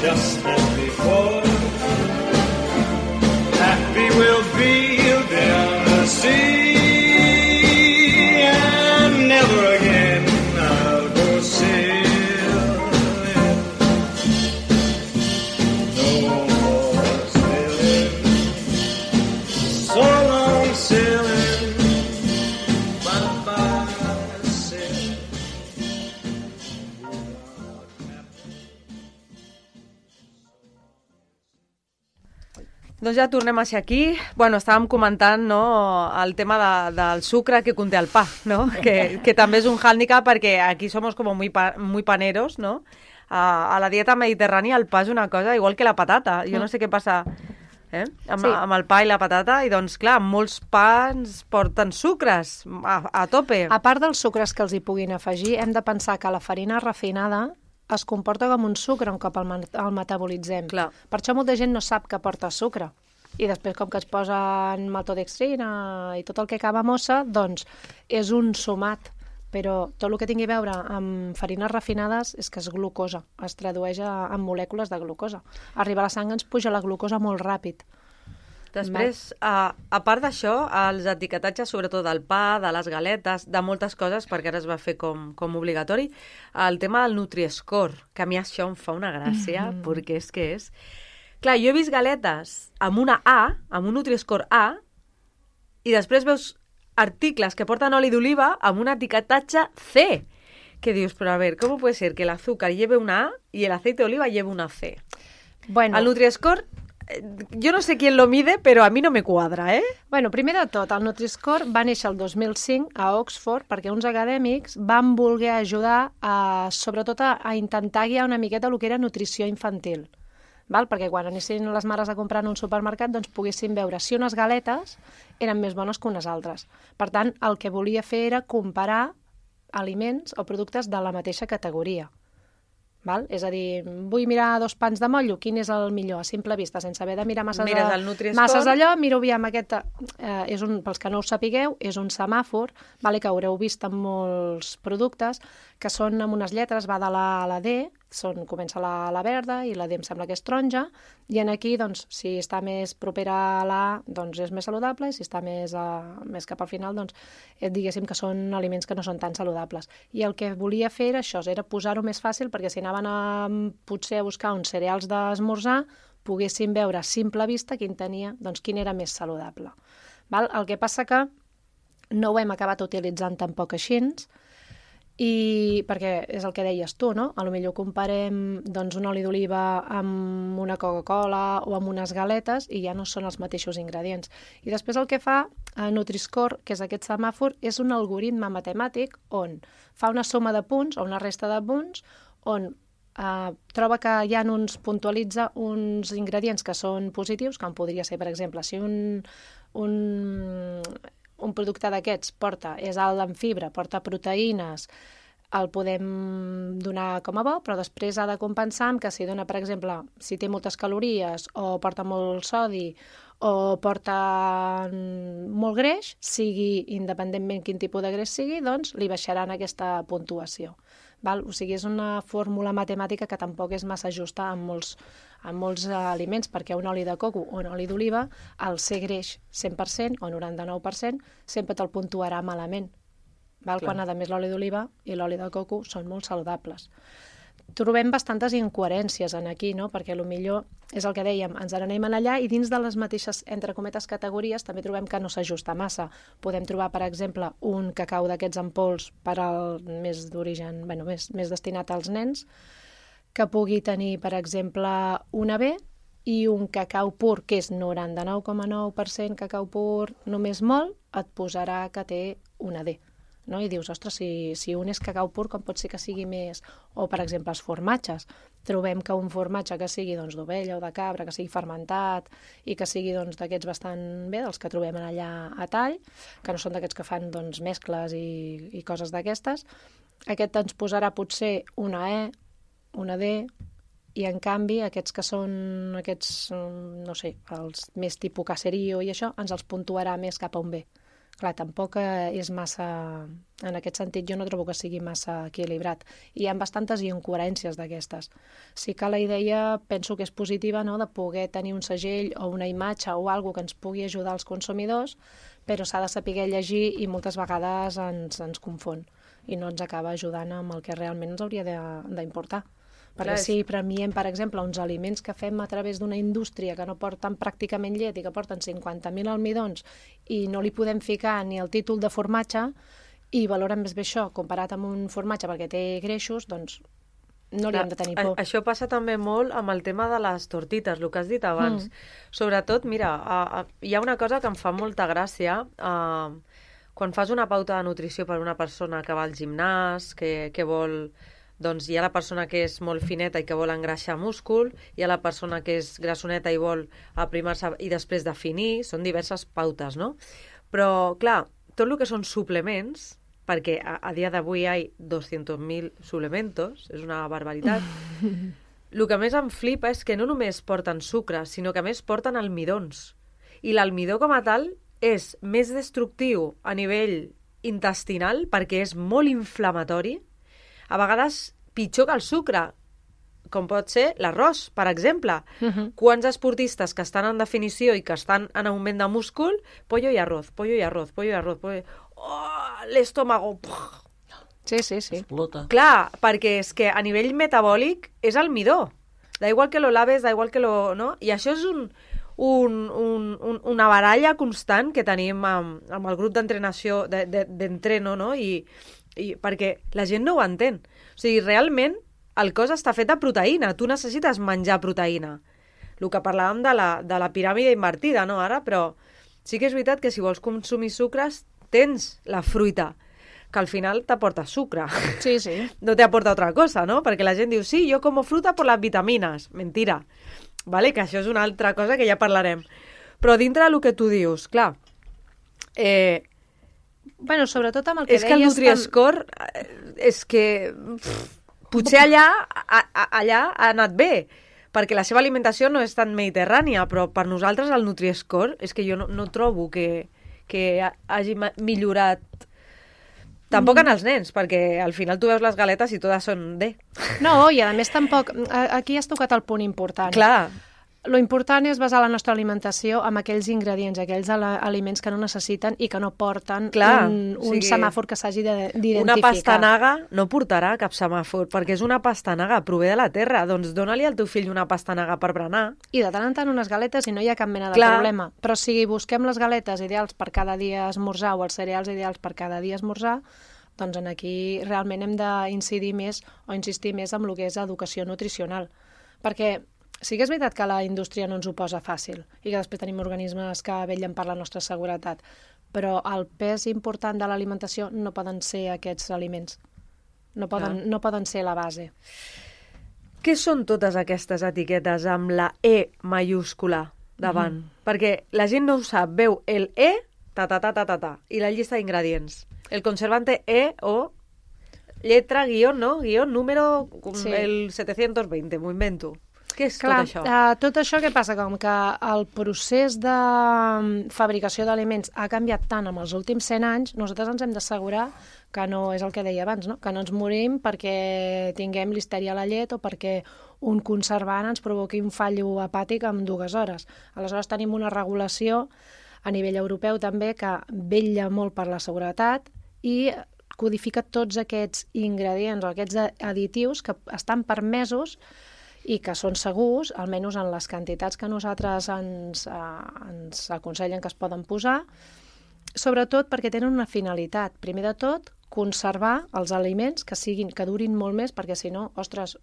Speaker 5: Just as before, happy we'll be beyond the sea, and never again I'll go sailing. No more sailing, so long sailing, bye-bye sailing.
Speaker 1: Doncs ja tornem a ser aquí. Bueno, estàvem comentant, no, el tema del sucre que conté el pa, no? Que també és un hàndicap perquè aquí somos como muy paneros, no? A la dieta mediterrània el pa és una cosa igual que la patata. Jo no sé què passa amb el pa i la patata, i doncs clar, molts pans porten sucres a tope.
Speaker 3: A part dels sucres que els hi puguin afegir, hem de pensar que la farina refinada es comporta com un sucre un cop el metabolitzem.
Speaker 1: Clar.
Speaker 3: Per això molta gent no sap que porta sucre. I després, com que es posen maltodextrina i tot el que acaba mossa, doncs és un sumat. Però tot el que tingui a veure amb farines refinades és que és glucosa, es tradueix en molècules de glucosa. Arribar a la sang ens puja la glucosa molt ràpid.
Speaker 1: Després, a part d'això, els etiquetatges, sobretot del pa, de les galetes, de moltes coses, perquè ara es va fer com obligatori, el tema del Nutri-Score, que a mi això em fa una gràcia, perquè és que és... Clar, jo he vist galetes amb una A, amb un Nutri-Score A, i després veus articles que porten oli d'oliva amb un etiquetatge C. Que dius, però a ver, ¿cómo puede ser que el azúcar lleve una A y el aceite de oliva lleve una C?
Speaker 3: Bueno.
Speaker 1: El Nutri-Score... Jo no sé qui lo mide, però a mi no me quadra, eh?
Speaker 3: Bueno, primer de tot, el Nutri-Score va néixer el 2005 a Oxford perquè uns acadèmics van voler ajudar sobretot a intentar guiar una miqueta el que era nutrició infantil. Val? Perquè quan anessin les mares a comprar en un supermercat doncs poguessin veure si unes galetes eren més bones que unes altres. Per tant, el que volia fer era comparar aliments o productes de la mateixa categoria. Val? És a dir, vull mirar 2 pans de motllo, quin és el millor, a simple vista, sense haver de mirar masses d'allò, miro aviam aquest... pels que no ho sapigueu, és un semàfor, vale, que haureu vist en molts productes, que són amb unes lletres, va de la A a la D, comença la verda i la D em sembla que és taronja, i en aquí, doncs, si està més propera a la A, doncs és més saludable, i si està més cap al final, doncs, diguéssim que són aliments que no són tan saludables. I el que volia fer era això, era posar-ho més fàcil, perquè si anaven potser a buscar uns cereals d'esmorzar, poguessin veure a simple vista quin era més saludable. Val? El que passa que no ho hem acabat utilitzant tampoc així, i perquè és el que deies tu, no? A lo millor comparem doncs, un oli d'oliva amb una Coca-Cola o amb unes galetes i ja no són els mateixos ingredients. I després el que fa Nutri-Score, que és aquest semàfor, és un algoritme matemàtic on fa una suma de punts o una resta de punts on troba que hi ha puntualitza uns ingredients que són positius, com podria ser, per exemple, si un producte d'aquests és alt en fibra, porta proteïnes, el podem donar com a bo, però després ha de compensar amb que si dona, per exemple, si té moltes calories o porta molt sodi o porta molt greix, sigui independentment quin tipus de greix sigui, doncs li baixaran aquesta puntuació. Val? O sigui, és una fórmula matemàtica que tampoc és massa justa en molts aliments, perquè un oli de coco o un oli d'oliva, al ser greix 100% o 99%, sempre te'l puntuarà malament. Val? Quan, a més, l'oli d'oliva i l'oli de coco són molt saludables. Trobem bastantes incoherències en aquí, no? Perquè potser és el que dèiem, ens n'anem allà i dins de les mateixes, entre cometes, categories també trobem que no s'ajusta massa. Podem trobar, per exemple, un cacau d'aquests en pols per al més d'origen, més destinat als nens, que pugui tenir, per exemple, una B i un cacau pur, que és 99,9% cacau pur, només molt, et posarà que té una D. No? I dius, ostres, si un és cacau pur, com pot ser que sigui més... O, per exemple, els formatges. Trobem que un formatge que sigui d'ovella o de cabra, que sigui fermentat i que sigui d'aquests bastant bé, dels que trobem allà a tall, que no són d'aquests que fan mescles i coses d'aquestes, aquest ens posarà potser una E, una D, i en canvi aquests que són no sé, els més tipus caserío i això, ens els puntuarà més cap a un B. Clar, tampoc és massa... En aquest sentit, jo no trobo que sigui massa equilibrat. I hi ha bastantes incoherències d'aquestes. Sí que la idea penso que és positiva, no?, de poder tenir un segell o una imatge o alguna que ens pugui ajudar als consumidors, però s'ha de saber llegir i moltes vegades ens confon i no ens acaba ajudant amb el que realment ens hauria d'importar. Perquè si premiem, per exemple, uns aliments que fem a través d'una indústria que no porten pràcticament llet i que porten 50.000 almidons i no li podem ficar ni el títol de formatge i valoren més bé això comparat amb un formatge perquè té greixos, doncs no li hem de tenir por.
Speaker 1: Això passa també molt amb el tema de les tortites, el que has dit abans. Sobretot, mira, hi ha una cosa que em fa molta gràcia quan fas una pauta de nutrició per a una persona que va al gimnàs, que vol... Doncs hi ha la persona que és molt fineta i que vol engreixar múscul, hi ha la persona que és grassoneta i vol aprimar-se i després definir, són diverses pautes, no? Però, clar, tot el que són suplements, perquè a dia d'avui hi ha 200.000 suplementos, és una barbaritat, el que més em flipa és que no només porten sucre, sinó que a més porten almidons. I l'almidó com a tal és més destructiu a nivell intestinal perquè és molt inflamatori, a vegades pitjor que el sucre, com pot ser l'arròs, per exemple. Quants esportistes que estan en definició i que estan en augment de múscul, pollo y arroz, pollo y arroz, pollo y arroz, pollo... Oh, l'estómago...
Speaker 3: Sí.
Speaker 2: Explota.
Speaker 1: Clar, perquè és que a nivell metabòlic és almidó. Da igual que lo laves, da igual que lo... No? I això és una baralla constant que tenim amb el grup d'entrenació, d'entreno, no? I perquè la gent no ho entén. O sigui, realment el cos està fet de proteïna. Tu necessites menjar proteïna. El que parlàvem de la piràmide invertida, no, ara? Però sí que és veritat que si vols consumir sucres, tens la fruita, que al final t'aporta sucre.
Speaker 3: Sí.
Speaker 1: No t'aporta otra cosa, no? Perquè la gent diu, sí, jo como fruta por las vitaminas. Mentira. Vale? Que això és una altra cosa que ja parlarem. Però dintre del que tu dius, clar...
Speaker 3: Bueno, sobretot amb el que
Speaker 1: deies... És que el Nutri-Score és que... Potser allà ha anat bé, perquè la seva alimentació no és tan mediterrània, però per nosaltres el Nutri-Score és que jo no trobo que hagi millorat tampoc en els nens, perquè al final tu veus les galetes i totes són D.
Speaker 3: No, i a més tampoc... Aquí has tocat el punt important.
Speaker 1: Clar.
Speaker 3: Lo important és basar la nostra alimentació amb aquells ingredients, aquells aliments que no necessiten i que no porten un semàfor que s'hagi d'identificar.
Speaker 1: Una pastanaga no portarà cap semàfor, perquè és una pastanaga, prové de la terra. Doncs dona-li al teu fill una pastanaga per berenar.
Speaker 3: I de tant en tant unes galetes i no hi ha cap mena de problema. Però si busquem les galetes ideals per cada dia esmorzar o els cereals ideals per cada dia esmorzar, doncs aquí realment hem d'incidir més o insistir més en el que és educació nutricional. Perquè sí que és veritat que la indústria no ens ho posa fàcil i que després tenim organismes que vetllen per la nostra seguretat, però el pes important de l'alimentació no poden ser aquests aliments. No poden ser la base.
Speaker 1: Què són totes aquestes etiquetes amb la E mayúscula davant? Perquè la gent no ho sap, veu el E, i la llista d'ingredients. El conservante E o lletra, guión, no? Guión, número,
Speaker 3: Sí.
Speaker 1: el 720, m'ho invento. Què és
Speaker 3: Clar,
Speaker 1: tot això?
Speaker 3: tot això què passa? Com que el procés de fabricació d'aliments ha canviat tant en els últims 100 anys, nosaltres ens hem d'assegurar que no és el que deia abans, no? Que no ens morim perquè tinguem listèria a la llet o perquè un conservant ens provoqui un fallo hepàtic en 2 hores. Aleshores tenim una regulació a nivell europeu també que vetlla molt per la seguretat i codifica tots aquests ingredients o aquests additius que estan permesos i que són segurs, almenys en les quantitats que nosaltres ens aconsellen que es poden posar, sobretot perquè tenen una finalitat. Primer de tot, conservar els aliments que durin molt més, perquè si no, ostres,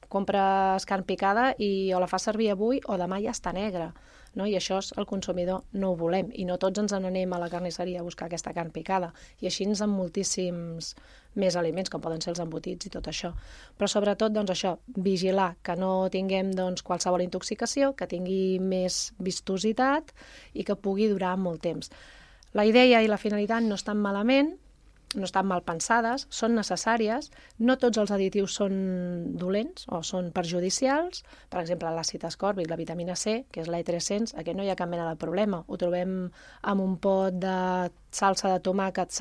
Speaker 3: compres carn picada i o la fas servir avui o demà ja està negra, no? I això el consumidor no ho volem, i no tots ens n'anem a la carnisseria a buscar aquesta carn picada, i així ens amb moltíssims més aliments, com poden ser els embotits i tot això. Però sobretot, doncs això, vigilar que no tinguem qualsevol intoxicació, que tingui més vistositat i que pugui durar molt temps. La idea i la finalitat no estan malament, no estan mal pensades, són necessàries, no tots els additius són dolents o són perjudicials. Per exemple, l'àcid ascòrbic, la vitamina C, que és l'E300, aquest no hi ha cap mena de problema. Ho trobem en un pot de salsa de tomàquet,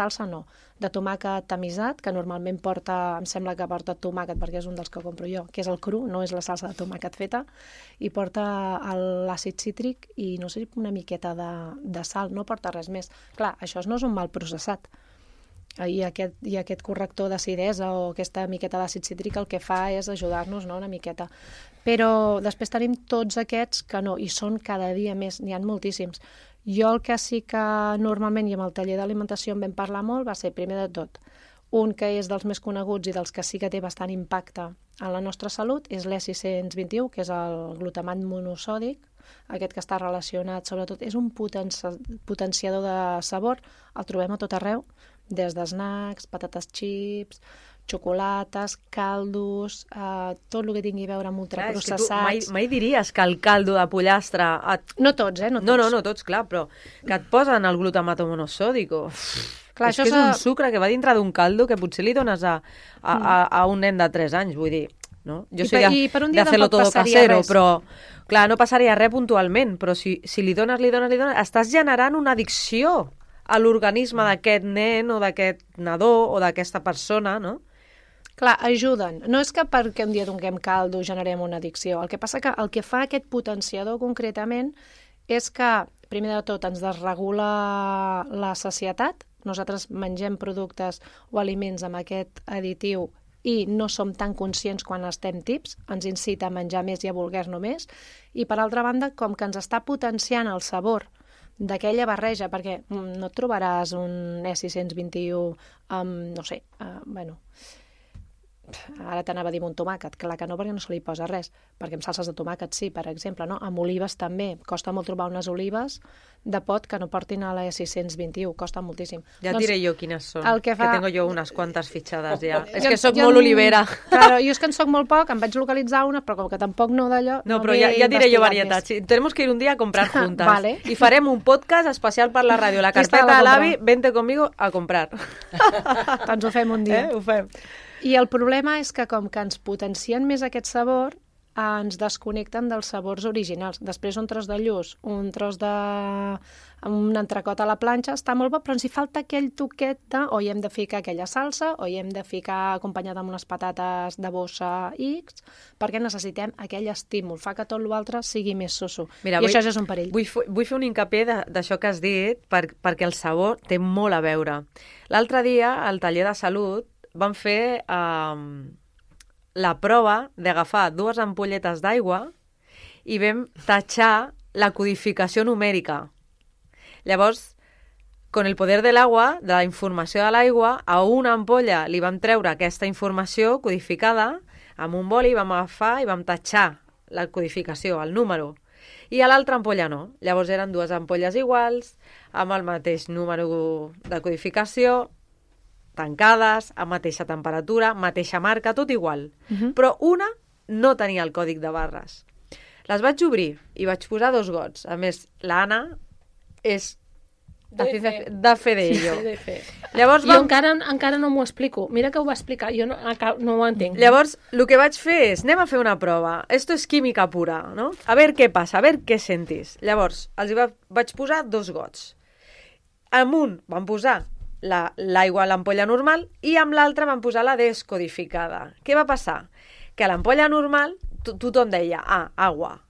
Speaker 3: de tomàquet tamisat, que normalment porta, em sembla que porta tomàquet, perquè és un dels que compro jo, que és el cru, no és la salsa de tomàquet feta, i porta l'àcid cítric i no sé, una miqueta de sal, no porta res més. Clar, això no és un mal processat. I aquest corrector d'acidesa o aquesta miqueta d'àcid cítric el que fa és ajudar-nos, no?, una miqueta. Però després tenim tots aquests que no, i són cada dia més, n'hi ha moltíssims. Jo el que sí que normalment i amb el taller d'alimentació en vam parlar molt va ser, primer de tot, un que és dels més coneguts i dels que sí que té bastant impacte en la nostra salut, és l'E621, que és el glutamat monosòdic, aquest que està relacionat, sobretot, és un potenciador de sabor, el trobem a tot arreu, des d'snacks, patates chips, xocolates, caldos, tot el que tingui a veure amb ultraprocessats.
Speaker 1: Mai diries que el caldo de pollastre...
Speaker 3: No tots, no tots.
Speaker 1: No tots, clar, però que et posen el glutamato monosòdico.
Speaker 3: Clar,
Speaker 1: és que és un sucre que va dintre d'un caldo que potser li dones a un nen de 3 anys, vull dir, no? Jo soy de hacerlo todo casero, però clar, no passaria res puntualment, però si li dones, estàs generant una addicció a l'organisme d'aquest nen o d'aquest nadó o d'aquesta persona, no?
Speaker 3: Clar, ajuden. No és que perquè un dia donguem caldo generem una addicció. El que passa que el que fa aquest potenciador concretament és que, primer de tot, ens desregula la sacietat. Nosaltres mengem productes o aliments amb aquest additiu i no som tan conscients quan estem tips, ens incita a menjar més i a voler-ne més. I, per altra banda, com que ens està potenciant el sabor d'aquella barreja, perquè no et trobaràs un E621 amb, no sé, ara t'anava a dir un tomàquet, clar que no, perquè no se li posa res, perquè amb salses de tomàquet sí, per exemple, no? Amb olives també, costa molt trobar unes olives de pot que no portin a la E621, costa moltíssim.
Speaker 1: Ja et diré jo quines són, que tengo jo unes quantes fitxades ja. És que soc molt olivera.
Speaker 3: Claro, jo és que en soc molt poc, em vaig localitzar una, però com que tampoc no d'allò...
Speaker 1: No, però ja diré jo varietats. Tenemos que ir un día a comprar juntas.
Speaker 3: Vale.
Speaker 1: Y farem un podcast especial per la ràdio. La carpeta de l'avi, vente conmigo a comprar.
Speaker 3: Doncs ho fem un dia.
Speaker 1: Ho fem.
Speaker 3: I el problema és que com que ens potencien més aquest sabor, ens desconnecten dels sabors originals. Després un tros de lluç, un tros de... un entrecot a la planxa, està molt bo, però ens hi falta aquell toquet de o hi hem de ficar aquella salsa, o hi hem de ficar acompanyada amb unes patates de bossa X, perquè necessitem aquell estímul, fa que tot l'altre sigui més soso.
Speaker 1: Mira,
Speaker 3: I això ja és un perill.
Speaker 1: Vull fer un hincapié d'això que has dit, perquè el sabor té molt a veure. L'altre dia, al taller de salut, vam fer la prova d'agafar 2 ampolletes d'aigua i vam tatxar la codificació numèrica. Llavors, con el poder de l'aigua, de la informació de l'aigua, a una ampolla li vam treure aquesta informació codificada, amb un boli vam agafar i vam tatxar la codificació, el número. I a l'altra ampolla no. Llavors eren 2 ampolles iguals, amb el mateix número de codificació, tancades, a mateixa temperatura, mateixa marca, tot igual. Però una no tenia el còdic de barres. Les vaig obrir i vaig posar 2 gots. A més, l'Anna és de fe d'ello.
Speaker 2: Sí, de fe.
Speaker 1: Llavors,
Speaker 4: Jo encara no m'ho explico. Mira que ho va explicar, jo no ho entenc.
Speaker 1: Llavors, el que vaig fer és, anem a fer una prova. Esto és química pura, no? A veure què passa, a veure què sentis. Llavors, vaig posar 2 gots. Amb un van posar l'aigua a l'ampolla normal i amb l'altre van posar la descodificada. Què va passar? Que a l'ampolla normal tothom deia, agua,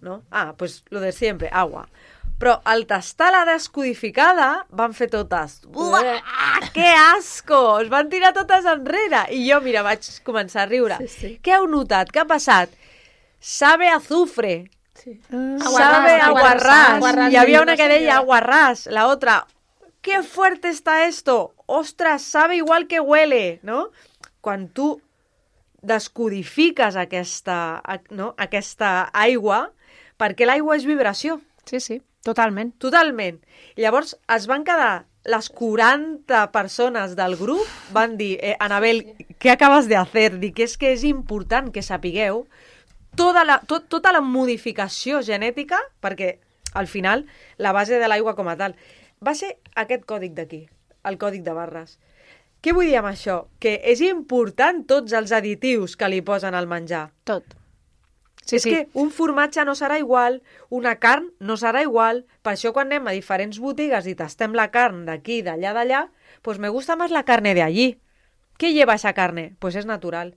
Speaker 1: no? Pues lo de siempre, agua. Però al tastar la descodificada van fer totes, que asco! Es van tirar totes enrere. I jo, mira, vaig començar a riure.
Speaker 2: Sí.
Speaker 1: Què heu notat? Què ha passat? Sabe a azufre.
Speaker 2: Sí.
Speaker 1: Sabe a aguarrás.
Speaker 4: aguarrás.
Speaker 1: Hi havia una que deia aguarrás. La otra, qué fuerte está esto. Ostras, sabe igual que huele, no? Quan tu descodifiques aquesta aigua, perquè l'aigua és vibració.
Speaker 3: Sí, totalment.
Speaker 1: Totalment. I llavors es van quedar les 40 persones del grup, van dir, Anabel, què acabes de hacer? Dic, és que és important que sapigueu tota la modificació genètica, perquè al final la base de l'aigua com a tal va ser aquest còdic d'aquí, el còdic de barres. Què vull dir amb això? Que és important tots els additius que li posen al menjar.
Speaker 3: Tot.
Speaker 1: És que un formatge no serà igual, una carn no serà igual. Per això quan anem a diferents botigues i tastem la carn d'aquí, d'allà, pues me gusta más la carne de allí. ¿Qué lleva esa carne? Pues és natural.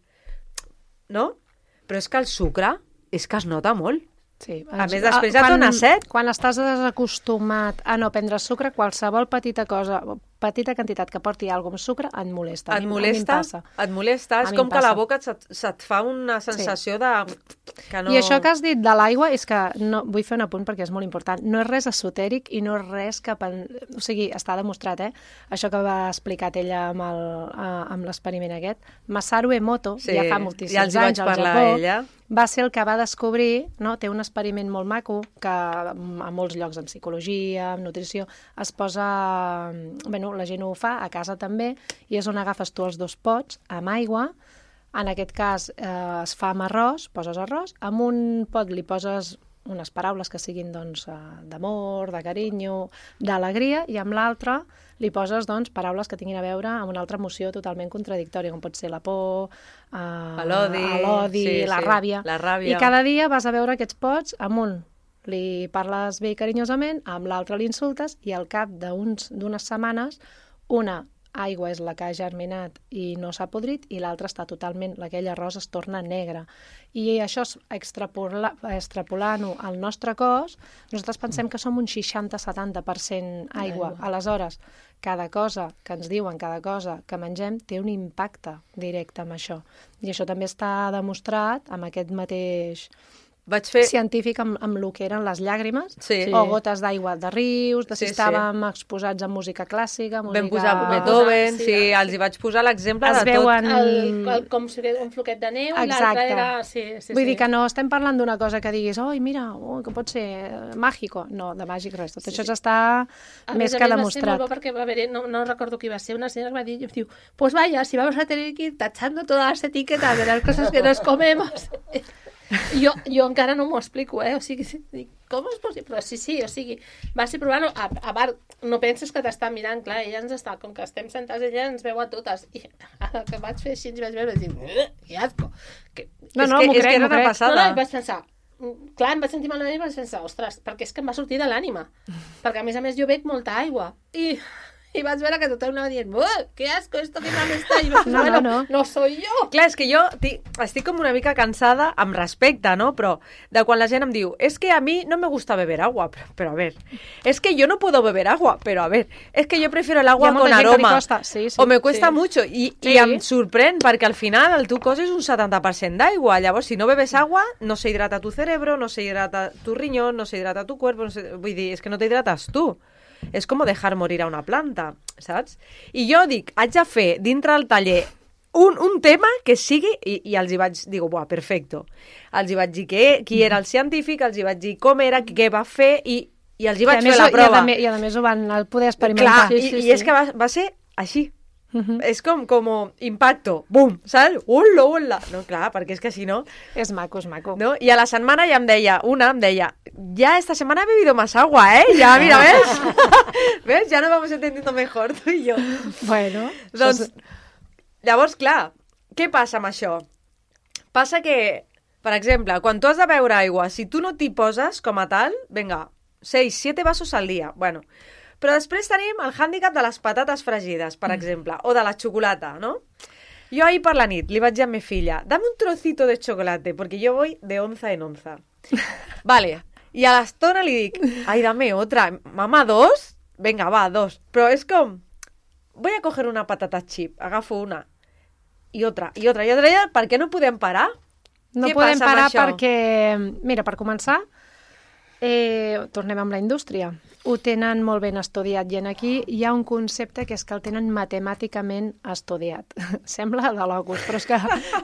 Speaker 1: No? Però és que el sucre és que es nota molt.
Speaker 3: Sí.
Speaker 1: A més, després ja dona set.
Speaker 3: Quan estàs desacostumat a no prendre sucre, qualsevol petita quantitat que porti alguna cosa amb sucre et molesta.
Speaker 1: Et molesta? Et molesta? És com que a la boca se't fa una sensació de... Que no...
Speaker 3: I això que has dit de l'aigua és que, no, vull fer un apunt perquè és molt important, no és res esotèric i no és res que... O sigui, està demostrat, això que va explicat ella amb l'experiment aquest. Masaru Emoto, ja fa moltíssims anys al Japó, va ser el que va descobrir, no? Té un experiment molt maco que a molts llocs en psicologia, en nutrició, es posa... Bueno, la gent ho fa, a casa també, i és on agafes tu els 2 pots amb aigua. En aquest cas es fa amb arròs, poses arròs, amb un pot li poses unes paraules que siguin doncs, d'amor, de carinyo, d'alegria, i amb l'altre li poses doncs, paraules que tinguin a veure amb una altra emoció totalment contradictòria, com pot ser la por, l'odi, la ràbia. I cada dia vas a veure aquests pots, amb un li parles bé i carinyosament, amb l'altre l'insultes, i al cap d'unes setmanes, una aigua és la que ha germinat i no s'ha podrit, i l'altra està totalment, aquell arròs es torna negre. I això, extrapolant-ho al nostre cos, nosaltres pensem que som un 60-70% aigua. Aleshores, cada cosa que ens diuen, cada cosa que mengem, té un impacte directe amb això. I això també està demostrat amb aquest mateix... científic amb el que eren les llàgrimes, o gotes d'aigua de rius, de si estàvem exposats a música clàssica, música...
Speaker 1: Vam posar Beethoven, els hi vaig posar l'exemple de tot.
Speaker 4: Com si un floquet de neu, l'altre era...
Speaker 3: Vull dir que no estem parlant d'una cosa que diguis, mira, que pot ser màgico. No, de màgic res. Tot això està més que demostrat.
Speaker 4: Va ser molt bo perquè, a veure, no recordo qui va ser, una senyora que va dir, diu, pues vaya, si vamos a tener que ir tachando todas las etiquetas de las cosas que nos comemos... Jo encara no m'ho explico, o sigui, com és possible? Però sí, o sigui, vas a provar-ho, a part, no penses que t'està mirant, clar, ella ens està, com que estem sentats, ella ens veu a totes, i el que vaig fer així, ens vaig veure, i dic, que asco.
Speaker 3: No, m'ho crec, m'ho crec.
Speaker 4: No, i vaig pensar, clar, em vaig sentir malament i vaig pensar, ostres, perquè és que em va sortir de l'ànima, perquè a més jo bec molta aigua, i vaig veure que tothom anava dient, que asco, esto que mal está, i vaig dir, no soy yo.
Speaker 1: Clar, és que jo estic com una mica cansada, amb respecte, no? Però de quan la gent em diu, es que a mí no me gusta beber agua, pero a ver, es que yo no puedo beber agua, pero a ver, es que yo prefiero el agua con aroma, o me cuesta mucho, i em sorprèn, perquè al final el teu cos és un 70% d'aigua, llavors si no bebes agua, no se hidrata tu cerebro, no se hidrata tu riñón, no se hidrata tu cuerpo, vull dir, és que no t'hidrates tu. És com dejar morir a una planta, saps? I jo dic, haig de fer dintre del taller un tema que sigui, i els hi vaig dir, buah, perfecto. Els hi vaig dir qui era el científic, els hi vaig dir com era, què va fer, i els hi vaig fer la prova.
Speaker 3: I a més ho van poder experimentar.
Speaker 1: Clar, i és que va ser així. És com impacto, bum, saps? Hola, hola. No, clar, perquè és que si no...
Speaker 3: És maco, és maco.
Speaker 1: ¿no? Y a la setmana ya em deia, ya esta semana he bebido más agua, ¿eh? Ya, mira, ¿ves? ¿Ves? Ya nos vamos entendiendo mejor, tu i jo.
Speaker 3: Bueno,
Speaker 1: Doncs, llavors, clar, què passa amb això? Passa que, per exemple, quan tu has de beure aigua, si tu no t'hi poses com a tal, vinga, 6-7 vasos al dia, bueno. Però després tenim el hàndicap de les patates fregides, per exemple, o de la xocolata, ¿no? Jo ahir per la nit li vaig dir a mi filla, dame un trocito de chocolate, porque yo voy de onza en onza. Vale, i a l'estona li dic, ay, dame otra. Mamá, 2? Venga, va, 2. Però és com, voy a coger una patata chip, agafo una, i otra, i otra, i otra, i otra. Per què no podem parar?
Speaker 3: no
Speaker 1: Què
Speaker 3: podem
Speaker 1: passa amb
Speaker 3: parar
Speaker 1: això?
Speaker 3: perquè, mira, per començar, tornem amb la indústria. Ho tenen molt ben estudiat i aquí hi ha un concepte que és que el tenen matemàticament estudiat. Sembla de locos, però és que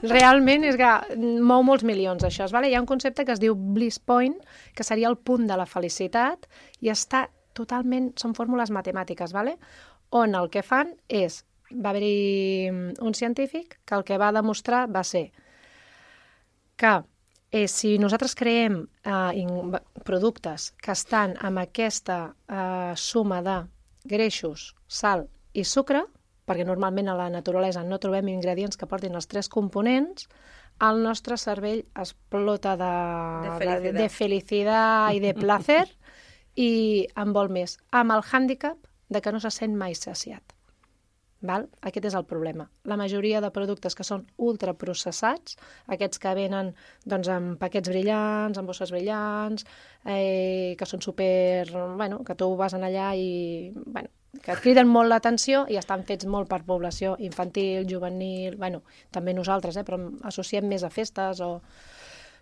Speaker 3: realment és que mou molts milions això. Vale? Hi ha un concepte que es diu bliss point, que seria el punt de la felicitat, i està totalment... Són fórmules matemàtiques, vale? On el que fan és... Va haver-hi un científic que el que va demostrar va ser que si nosaltres creem productes que estan amb aquesta suma de greixos, sal i sucre, perquè normalment a la naturalesa no trobem ingredients que portin els 3 components, el nostre cervell explota de felicitat i de placer i en vol més, amb el hàndicap de que no se sent mai saciat. Val? Aquest és el problema. La majoria de productes que són ultraprocessats, aquests que venen doncs, amb paquets brillants, amb bosses brillants, que són super... Bueno, que tu vas allà i... Bueno, que et criden molt l'atenció i estan fets molt per població infantil, juvenil... Bueno, també nosaltres, però associem més a festes o...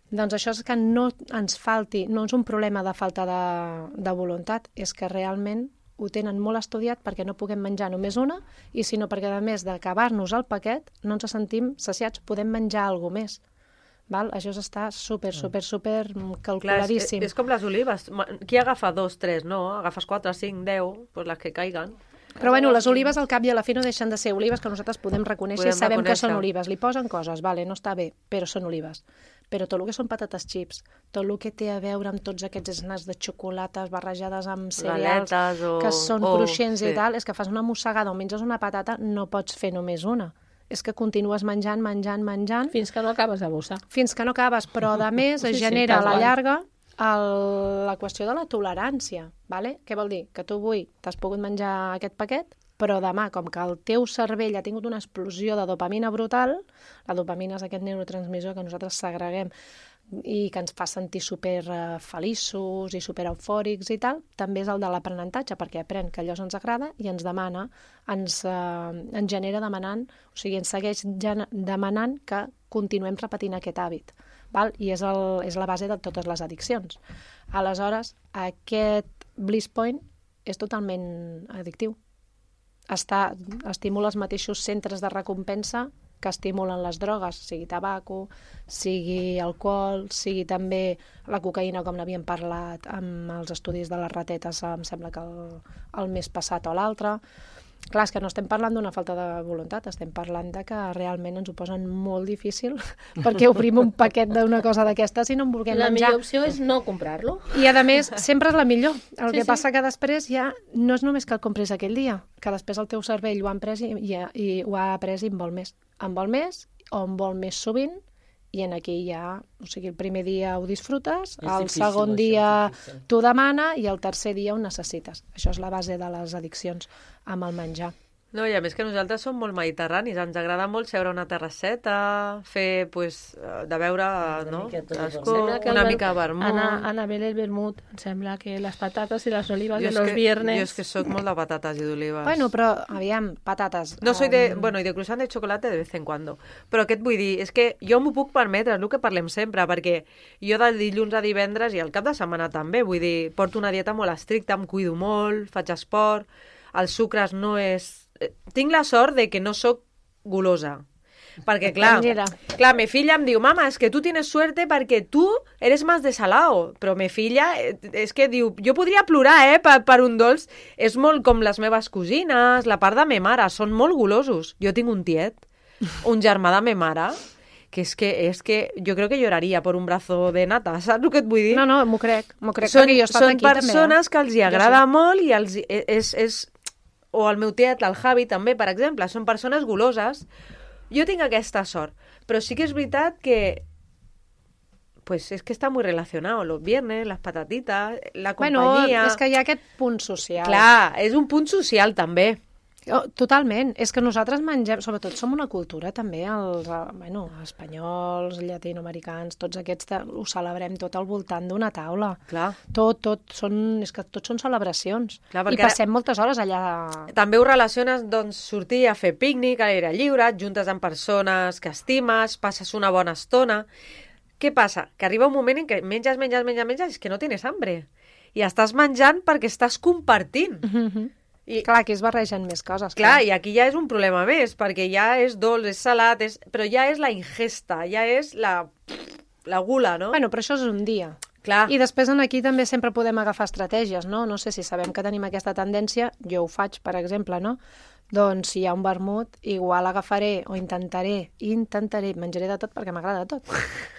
Speaker 3: Doncs això és que no ens falti, no és un problema de falta de voluntat, és que realment ho tenen molt estudiat perquè no puguem menjar només una i sinó perquè, a més d'acabar-nos el paquet, no ens sentim saciats, podem menjar alguna més. Val? Això està super calculadíssim.
Speaker 1: Clar, és com les olives. Qui agafa 2, 3, no? Agafes 4, 5, 10, pues les que caiguen.
Speaker 3: Però bueno, les olives al cap i a la fi no deixen de ser olives que nosaltres podem reconèixer i sabem que són olives. Li posen coses, vale, no està bé, però són olives. Però tot el que són patates chips, tot el que té a veure amb tots aquests snacks de xocolates barrejades amb cereals que són cruixents i tal, és que fas una mossegada o menges una patata, no pots fer només una. És que continues menjant...
Speaker 4: Fins que no acabes de bossar.
Speaker 3: Fins que no acabes, però a més es genera a la llarga la qüestió de la tolerància. Vale? Què vol dir? Que tu avui t'has pogut menjar aquest paquet, però demà, com que el teu cervell ha tingut una explosió de dopamina brutal, la dopamina és aquest neurotransmissor que nosaltres segreguem i que ens fa sentir super feliços i super eufòrics i tal, també és el de l'aprenentatge, perquè aprèn que allò ens agrada i ens demana, ens genera demanant, o sigui, ens segueix demanant que continuem repetint aquest hàbit. Val? I és la base de totes les addiccions. Aleshores, aquest bliss point és totalment addictiu. Estimula els mateixos centres de recompensa que estimulen les drogues, sigui tabaco, sigui alcohol, sigui també la cocaïna, com n'havíem parlat amb els estudis de les ratetes, em sembla que el mes passat o l'altre. Clar, és que no estem parlant d'una falta de voluntat, estem parlant de que realment ens ho posen molt difícil perquè obrim un paquet d'una cosa d'aquestes i no en vulguem menjar.
Speaker 4: La millor opció és no comprar-lo.
Speaker 3: I a més, sempre és la millor. El que passa que després ja no és només que el compris aquell dia, que després el teu cervell ho ha après i ho ha après i en vol més. En vol més o en vol més sovint i en aquí ja, o sigui, el primer dia ho disfrutes, el segon dia t'ho demana i el tercer dia ho necessites. Això és la base de les addiccions amb el menjar.
Speaker 1: No, i a més que nosaltres som molt mediterranis, ens agrada molt seure a una terrasseta, fer, pues, de veure, no? Una mica de vermut.
Speaker 4: Anar a beure el vermut, em sembla que les patates i les olives de los viernes...
Speaker 1: Jo és que soc molt de patates i d'olives.
Speaker 3: Bueno, però, aviam, patates...
Speaker 1: No soy de... Bueno, i de croissant de chocolate de vez en cuando. Però què et vull dir? És que jo m'ho puc permetre, és el que parlem sempre, perquè jo de dilluns a divendres i al cap de setmana també, vull dir, porto una dieta molt estricta, em cuido molt, faig esport, els sucres no és... Tinc la sort de que no sóc golosa, Perquè, clar, mi filla em diu, mama, és que tu tienes suerte perquè tu eres más de salao. Però mi filla, és que diu, jo podria plorar, per un dolç. És molt com les meves cosines, la part de me mare, són molt golosos. Jo tinc un tiet, un germà de me mare, que és que jo crec que lloraria per un brazo de nata, saps el que et vull dir?
Speaker 3: No, m'ho crec.
Speaker 1: Són persones que els hi agrada molt i o el meu tiet, el Javi, també, per exemple, són persones goloses. Jo tinc aquesta sort, però sí que és veritat que pues es que está muy relacionado, los viernes, las patatitas, la companyia...
Speaker 3: Bueno, és que hi ha aquest punt social.
Speaker 1: Clar, és un punt social, també.
Speaker 3: Totalment. És que nosaltres mengem, sobretot som una cultura també, els espanyols, llatinoamericans, tots aquests ho celebrem tot al voltant d'una taula.
Speaker 1: Clar.
Speaker 3: És que tot són celebracions.
Speaker 1: Clar,
Speaker 3: i passem moltes hores allà.
Speaker 1: També ho relaciones, doncs, sortir a fer pícnic, a l'aire lliure, et juntes amb persones que estimes, passes una bona estona. Què passa? Que arriba un moment en què menges, és que no tienes hambre. I estàs menjant perquè estàs compartint.
Speaker 3: I, clar, aquí es barregen més coses.
Speaker 1: Clar, i aquí ja és un problema més, perquè ja és dolç, és salat, però ja és la ingesta, ja és la gula, no?
Speaker 3: Bueno, però això és un dia.
Speaker 1: Clar.
Speaker 3: I després aquí també sempre podem agafar estratègies, no? No sé si sabem que tenim aquesta tendència, jo ho faig, per exemple, no? Doncs si hi ha un vermut, igual agafaré o intentaré, menjaré de tot perquè m'agrada tot.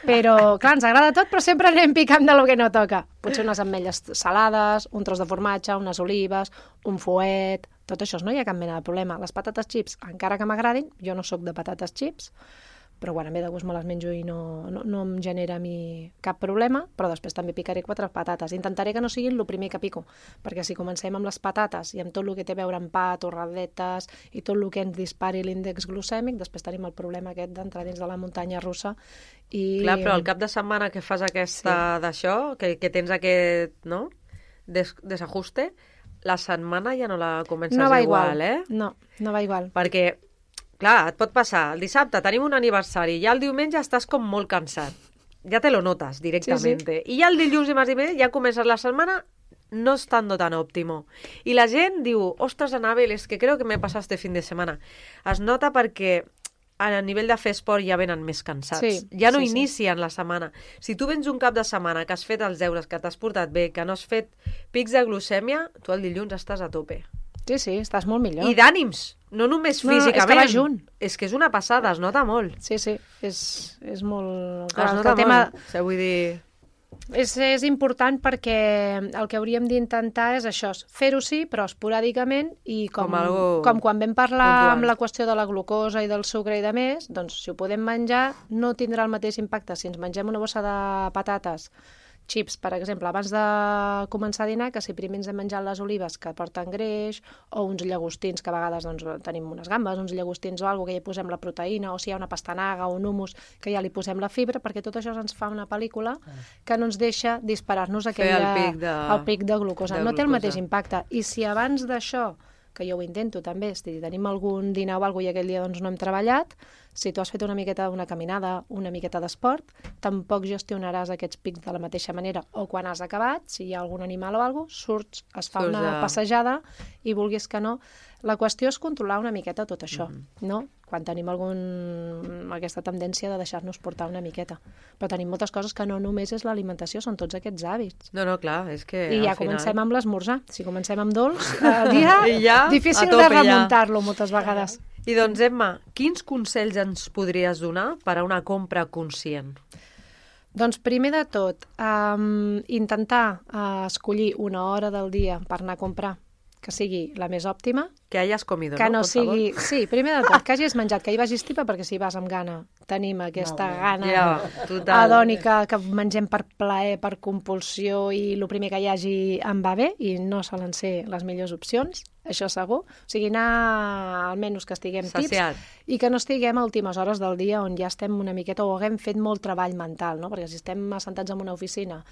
Speaker 3: Però, clar, ens agrada tot, però sempre anem picant de lo que no toca. Potser unes ametlles salades, un tros de formatge, unes olives, un fuet, tot això no hi ha cap mena de problema. Les patates chips, encara que m'agradin, jo no sóc de patates chips, però bueno, bé de gust me les menjo i no em genera a mi cap problema, però després també picaré 4 patates. Intentaré que no siguin el primer que pico, perquè si comencem amb les patates i amb tot el que té a veure amb pa, torradetes i tot el que ens dispari l'índex glucèmic, després tenim el problema aquest d'entrar dins de la muntanya russa.
Speaker 1: Clar, però al cap de setmana que fas d'això, que tens aquest desajuste, la setmana ja no la comences igual, eh?
Speaker 3: No va igual.
Speaker 1: Perquè clar, et pot passar, el dissabte tenim un aniversari, ja el diumenge estàs com molt cansat. Ja te lo notes directament. Sí. I ja el dilluns i març i diumenge ja comences la setmana no estando tan óptimo. I la gent diu, ostres, Anabel, es que creo que me pasa este fin de semana. Es nota perquè a nivell de fer esport ja venen més cansats.
Speaker 3: Sí,
Speaker 1: ja no inicien la setmana. Si tu vens un cap de setmana que has fet els deures, que t'has portat bé, que no has fet pics de glucèmia, tu el dilluns estàs a tope.
Speaker 3: Sí, estàs molt millor.
Speaker 1: I d'ànims, no només físicament.
Speaker 3: És que va junt.
Speaker 1: És que és una passada, es nota molt.
Speaker 3: Sí, és molt...
Speaker 1: Es nota molt, vull dir...
Speaker 3: És important perquè el que hauríem d'intentar és això, fer-ho sí, però esporàdicament, i com quan vam parlar puntual amb la qüestió de la glucosa i del sucre i de més, doncs si ho podem menjar no tindrà el mateix impacte si ens mengem una bossa de patates, chips, per exemple, abans de començar a dinar, que si primer ens hem menjat les olives que porten greix, o uns llagostins, que a vegades doncs, tenim unes gambes, uns llagostins o alguna que ja hi posem la proteïna, o si hi ha una pastanaga o un hummus, que ja li posem la fibra, perquè tot això ens fa una pel·lícula que no ens deixa disparar-nos el pic de glucosa. No té el mateix impacte. I si abans d'això, que jo ho intento també, si tenim algun dinar o alguna cosa i aquell dia doncs, no hem treballat, si tu has fet una miqueta d'una caminada, una miqueta d'esport, tampoc gestionaràs aquests pics de la mateixa manera. O quan has acabat, si hi ha algun animal o alguna cosa, surts, es fa una passejada i vulguis que no. La qüestió és controlar una miqueta tot això, no? Quan tenim aquesta tendència de deixar-nos portar una miqueta. Però tenim moltes coses que no només és l'alimentació, són tots aquests hàbits.
Speaker 1: No, clar, és que
Speaker 3: I ja comencem amb l'esmorzar. Si comencem amb dolç, el dia difícil de remuntar-lo moltes vegades.
Speaker 1: I doncs, Emma, quins consells ens podries donar per a una compra conscient?
Speaker 3: Doncs primer de tot, intentar escollir una hora del dia per anar a comprar que sigui la més òptima.
Speaker 1: Que hayas comido,
Speaker 3: que no sigui... Sí, primer de tot, que hagis menjat, que hi vagis tipa, perquè si vas amb gana, tenim aquesta gana adònica que mengem per plaer, per compulsió, i el primer que hi hagi em va bé, i no solen ser les millors opcions, això segur. O sigui, anar almenys que estiguem tips i que no estiguem a últimes hores del dia on ja estem una miqueta o haguem fet molt treball mental, no? Perquè si estem assentats en una oficina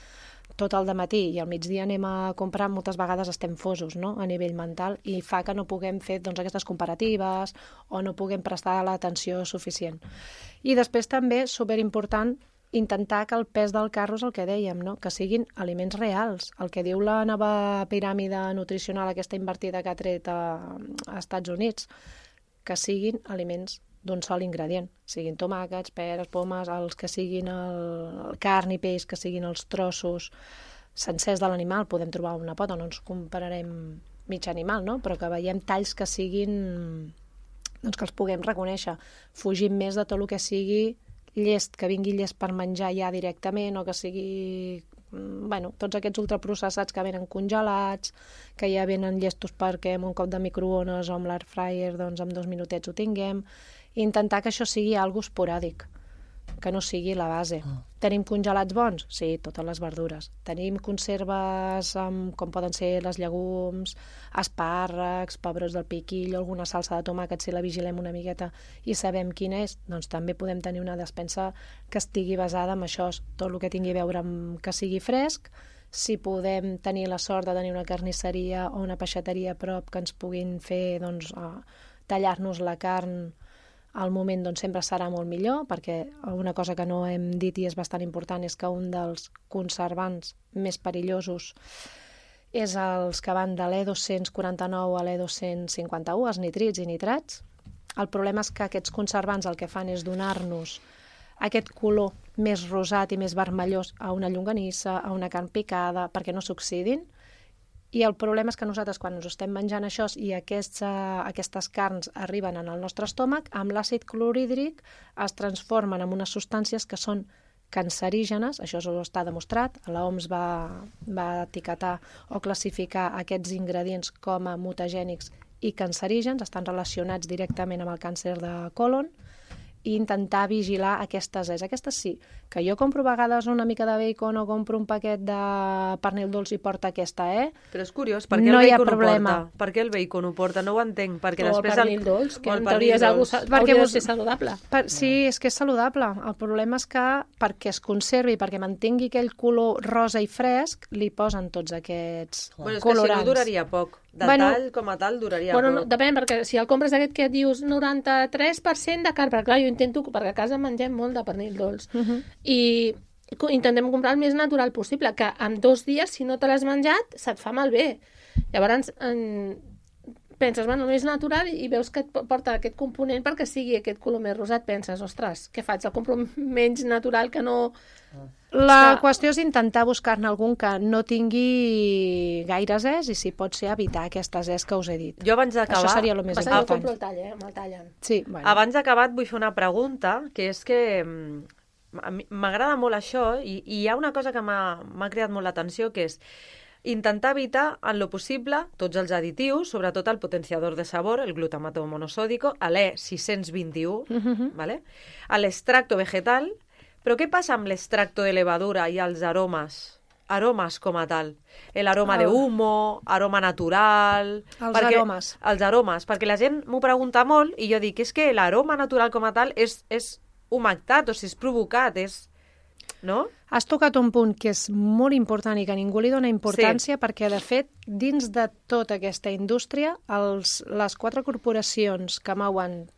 Speaker 3: tot el dematí i al migdia anem a comprar, moltes vegades estem fosos, no?, a nivell mental, i fa que no puguem fer doncs, aquestes comparatives o no puguem prestar l'atenció suficient. I després també, superimportant, intentar que el pes del carro és el que dèiem, no?, que siguin aliments reals. El que diu la nova piràmide nutricional, aquesta invertida que ha tret a Estats Units, que siguin aliments d'un sol ingredient, siguin tomàquets, peres, pomes, els que siguin el carn i peix, que siguin els trossos sencers de l'animal, podem trobar una pota, no ens compararem mig animal, no? Però que veiem talls que siguin, doncs que els puguem reconèixer. Fugim més de tot el que sigui llest, que vingui llest per menjar ja directament, o que sigui, bueno, tots aquests ultraprocessats que venen congelats, que ja venen llestos perquè amb un cop de microones o amb l'air fryer, doncs en 2 minutets ho tinguem, i intentar que això sigui algo esporàdic, que no sigui la base. Tenim congelats bons? Sí, totes les verdures. Tenim conserves com poden ser les llegums, espàrrecs, pebrots del piquill, alguna salsa de tomàquet, si la vigilem una miqueta i sabem quina és, doncs també podem tenir una despensa que estigui basada en això, tot el que tingui a veure amb que sigui fresc. Si podem tenir la sort de tenir una carnisseria o una peixateria a prop que ens puguin fer, doncs, tallar-nos la carn al moment, doncs sempre serà molt millor, perquè una cosa que no hem dit i és bastant important és que un dels conservants més perillosos és els que van de l'E249 a l'E251, els nitrits i nitrats. El problema és que aquests conservants el que fan és donar-nos aquest color més rosat i més vermellós a una llonganissa, a una carn picada, perquè no s'oxidin. I el problema és que nosaltres, quan ens estem menjant això i aquestes carns arriben en el nostre estómac, amb l'àcid clorhídric es transformen en unes substàncies que són cancerígenes, això està demostrat, l'OMS va etiquetar o classificar aquests ingredients com a mutagènics i cancerígens, estan relacionats directament amb el càncer de còlon, i intentar vigilar aquestes és. Aquestes sí, que jo compro a vegades una mica de bacon o compro un paquet de pernil dolç i porta aquesta,
Speaker 1: Però és curiós, per què
Speaker 3: no
Speaker 1: el
Speaker 3: hi ha
Speaker 1: bacon ho
Speaker 3: problema.
Speaker 1: porta? Per què el bacon ho porta? No ho entenc, perquè
Speaker 4: O el
Speaker 1: després...
Speaker 4: pernil dolç, que
Speaker 1: o el
Speaker 4: en teoria és algo
Speaker 1: dolç.
Speaker 4: hauria de ser saludable.
Speaker 3: Sí, és que és saludable. El problema és que perquè es conservi, perquè mantingui aquell color rosa i fresc, li posen tots aquests
Speaker 1: Bueno, és que
Speaker 3: colorants.
Speaker 1: si no duraria poc. De
Speaker 3: Bueno,
Speaker 1: tall com a tal duraria
Speaker 4: Bueno,
Speaker 1: poc.
Speaker 4: no, depèn, perquè si el compres aquest que et dius 93% de carn, perquè clar, jo intento, perquè a casa mengem molt de pernil dolç, i intentem comprar el més natural possible, que en 2 dies, si no te l'has menjat, se't fa malbé. Llavors, penses, bueno, el més natural, i veus que et porta aquest component perquè sigui aquest color més rosat, penses, ostres, què faig? El compro menys natural que no...
Speaker 3: La qüestió és intentar buscar-ne algun que no tingui gaires és i si pot ser evitar aquestes és que us he dit.
Speaker 1: Jo abans d'acabar...
Speaker 3: Això seria el més
Speaker 4: Passa que jo
Speaker 3: important.
Speaker 4: compro el tall, me'l tallen.
Speaker 3: Sí, bueno.
Speaker 1: Abans d'acabar et vull fer una pregunta, que és que a mi m'agrada molt això i hi ha una cosa que m'ha cridat molt l'atenció, que és intentar evitar en lo possible tots els additius, sobretot el potenciador de sabor, el glutamato monosódico, l'E621, ¿vale? L'extracto vegetal. Però què passa amb l'extracto de levadura i els aromes? Aromes com a tal. L'aroma de humo, aroma natural...
Speaker 3: aromes.
Speaker 1: Els aromes, perquè la gent m'ho pregunta molt i jo dic, és que l'aroma natural com a tal és humectat, o sigui, és provocat, és... No?
Speaker 3: Has tocat un punt que és molt important i que ningú li dona importància perquè, de fet, dins de tota aquesta indústria, les 4 corporacions que mouen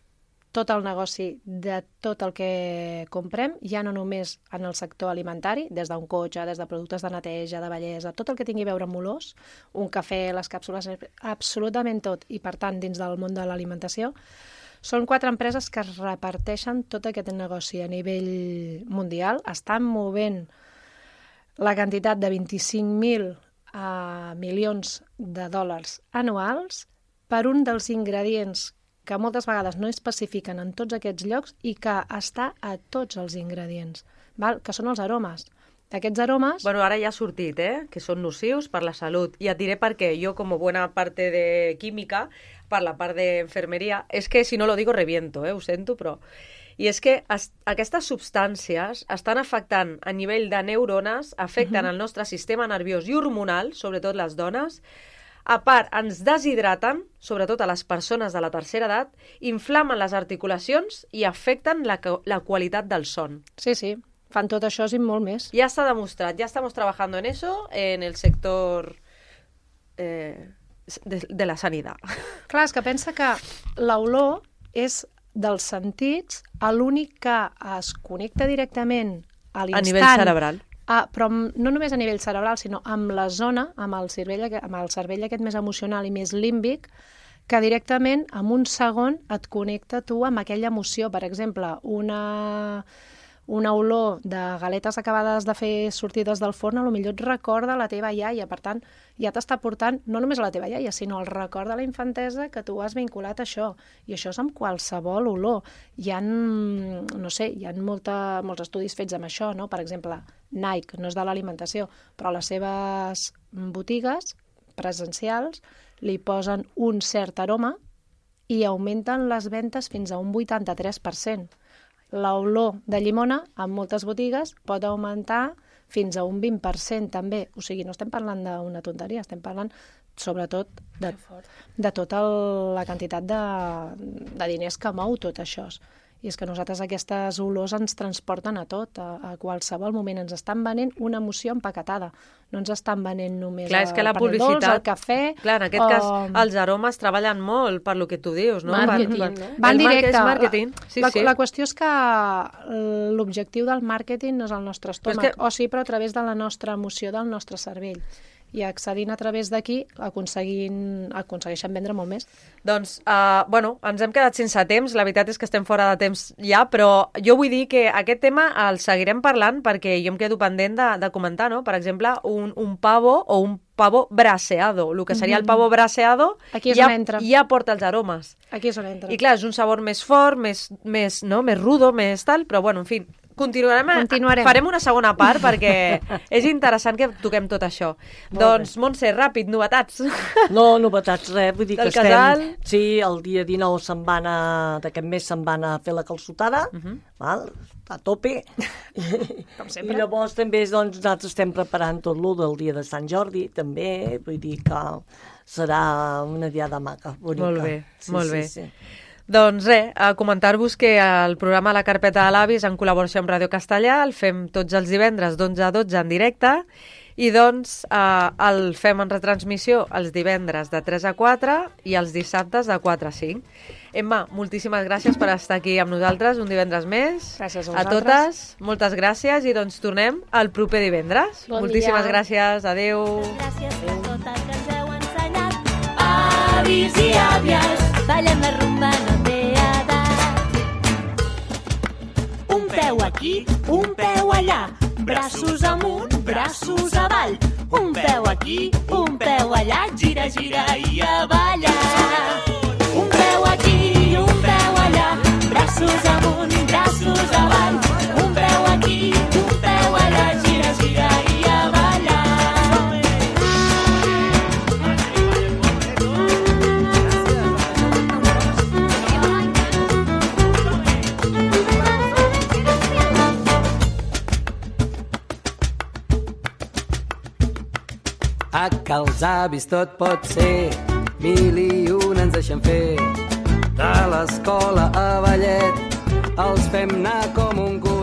Speaker 3: tot el negoci de tot el que comprem, ja no només en el sector alimentari, des d'un cotxe, des de productes de neteja, de bellesa, tot el que tingui a veure amb olors, un cafè, les càpsules, absolutament tot, i per tant dins del món de l'alimentació, són 4 empreses que es reparteixen tot aquest negoci a nivell mundial, estan movent la quantitat de 25.000 milions de dòlars anuals per un dels ingredients que moltes vegades no especifiquen en tots aquests llocs i que està a tots els ingredients, val? Que són els aromes. Aquests aromes...
Speaker 1: Bueno, ara ja ha sortit, que són nocius per la salut. I et diré per què. Jo, com bona parte de química, per la part d'enfermeria, és que si no lo digo reviento, ho sento, però... I és que aquestes substàncies estan afectant a nivell de neurones, afecten el nostre sistema nerviós i hormonal, sobretot les dones. A part, ens deshidraten, sobretot a les persones de la tercera edat, inflamen les articulacions i afecten la qualitat del son.
Speaker 3: Sí, sí, fan tot això i molt més.
Speaker 1: Ja està demostrat, ja estamos trabajando en eso en el sector de la sanitat.
Speaker 3: Clar, és que pensa que l'olor és dels sentits l'únic que es connecta directament a l'instant.
Speaker 1: A nivell cerebral.
Speaker 3: Però no només a nivell cerebral, sinó amb la zona, amb el cervell aquest més emocional i més límbic, que directament en un segon et connecta tu amb aquella emoció. Per exemple, una olor de galetes acabades de fer sortides del forn, potser et recorda la teva iaia. Per tant, ja t'està portant no només a la teva iaia, sinó el record de la infantesa que tu has vinculat a això. I això és amb qualsevol olor. Hi ha, no sé, hi ha molts estudis fets amb això, no? Per exemple, Nike, no és de l'alimentació, però a les seves botigues presencials li posen un cert aroma i augmenten les ventes fins a un 83%. L'olor de llimona en moltes botigues pot augmentar fins a un 20% també. O sigui, no estem parlant d'una tonteria, estem parlant sobretot de tota la quantitat de diners que mou tot això. I és que nosaltres aquestes olors ens transporten a tot, a qualsevol moment. Ens estan venent una emoció empaquetada. No ens estan venent només
Speaker 1: clar, és que la
Speaker 3: publicitat, dolç, el cafè...
Speaker 1: Clar, en aquest cas, els aromes treballen molt per lo que tu dius, no?
Speaker 4: Marketing, no?
Speaker 3: Van directe.
Speaker 1: És marketing.
Speaker 3: La qüestió és que l'objectiu del màrqueting no és el nostre estómac, o sí, però a través de la nostra emoció, del nostre cervell. I accedint a través d'aquí aconsegueixen vendre molt més.
Speaker 1: Doncs, ens hem quedat sense temps, la veritat és que estem fora de temps ja, però jo vull dir que aquest tema el seguirem parlant perquè jo em quedo pendent de comentar, no? Per exemple, un pavo o un pavo braseado. El que seria el pavo braseado ja porta els aromes.
Speaker 3: Aquí és on entra.
Speaker 1: I clar, és un sabor més fort, més rudo, més tal, però bueno, en fi, Continuarem. Farem una segona part perquè és interessant que toquem tot això. Doncs, Montse, ràpid, novetats.
Speaker 2: No, novetats, res. Vull dir que estem...
Speaker 1: casal.
Speaker 2: Sí, el dia 19 d'aquest mes se'n van a fer la calçotada, val? A tope.
Speaker 3: Com sempre.
Speaker 2: I llavors també doncs, nosaltres estem preparant tot lo del dia de Sant Jordi, també. Vull dir que serà una diada maca, bonica.
Speaker 1: Molt bé, molt bé.
Speaker 2: Sí.
Speaker 1: Doncs res, a comentar-vos que el programa La Carpeta de l'Avi és en col·laboració amb Ràdio Castellà, el fem tots els divendres d'11 a 12 en directe i doncs el fem en retransmissió els divendres de 3 a 4 i els dissabtes de 4 a 5. Emma, moltíssimes gràcies per estar aquí amb nosaltres un divendres més.
Speaker 3: Gràcies
Speaker 1: a totes, moltes gràcies i doncs tornem el proper divendres. Moltíssimes gràcies, adeu.
Speaker 6: Gràcies per tot el que ens heu ensenyat. Avis i àvies, ballem la rumba, no té edat. Un peu aquí, un peu allà, braços amunt, braços avall. Un peu aquí, un peu allà, gira, gira i a ballar. Un peu aquí, un peu allà, braços amunt, braços avall. Un peu aquí, un peu allà, gira, gira i a ballar.
Speaker 7: A que els avis tot pot ser, 1001 ens deixen fer. De l'escola a ballet, els fem anar com un cul.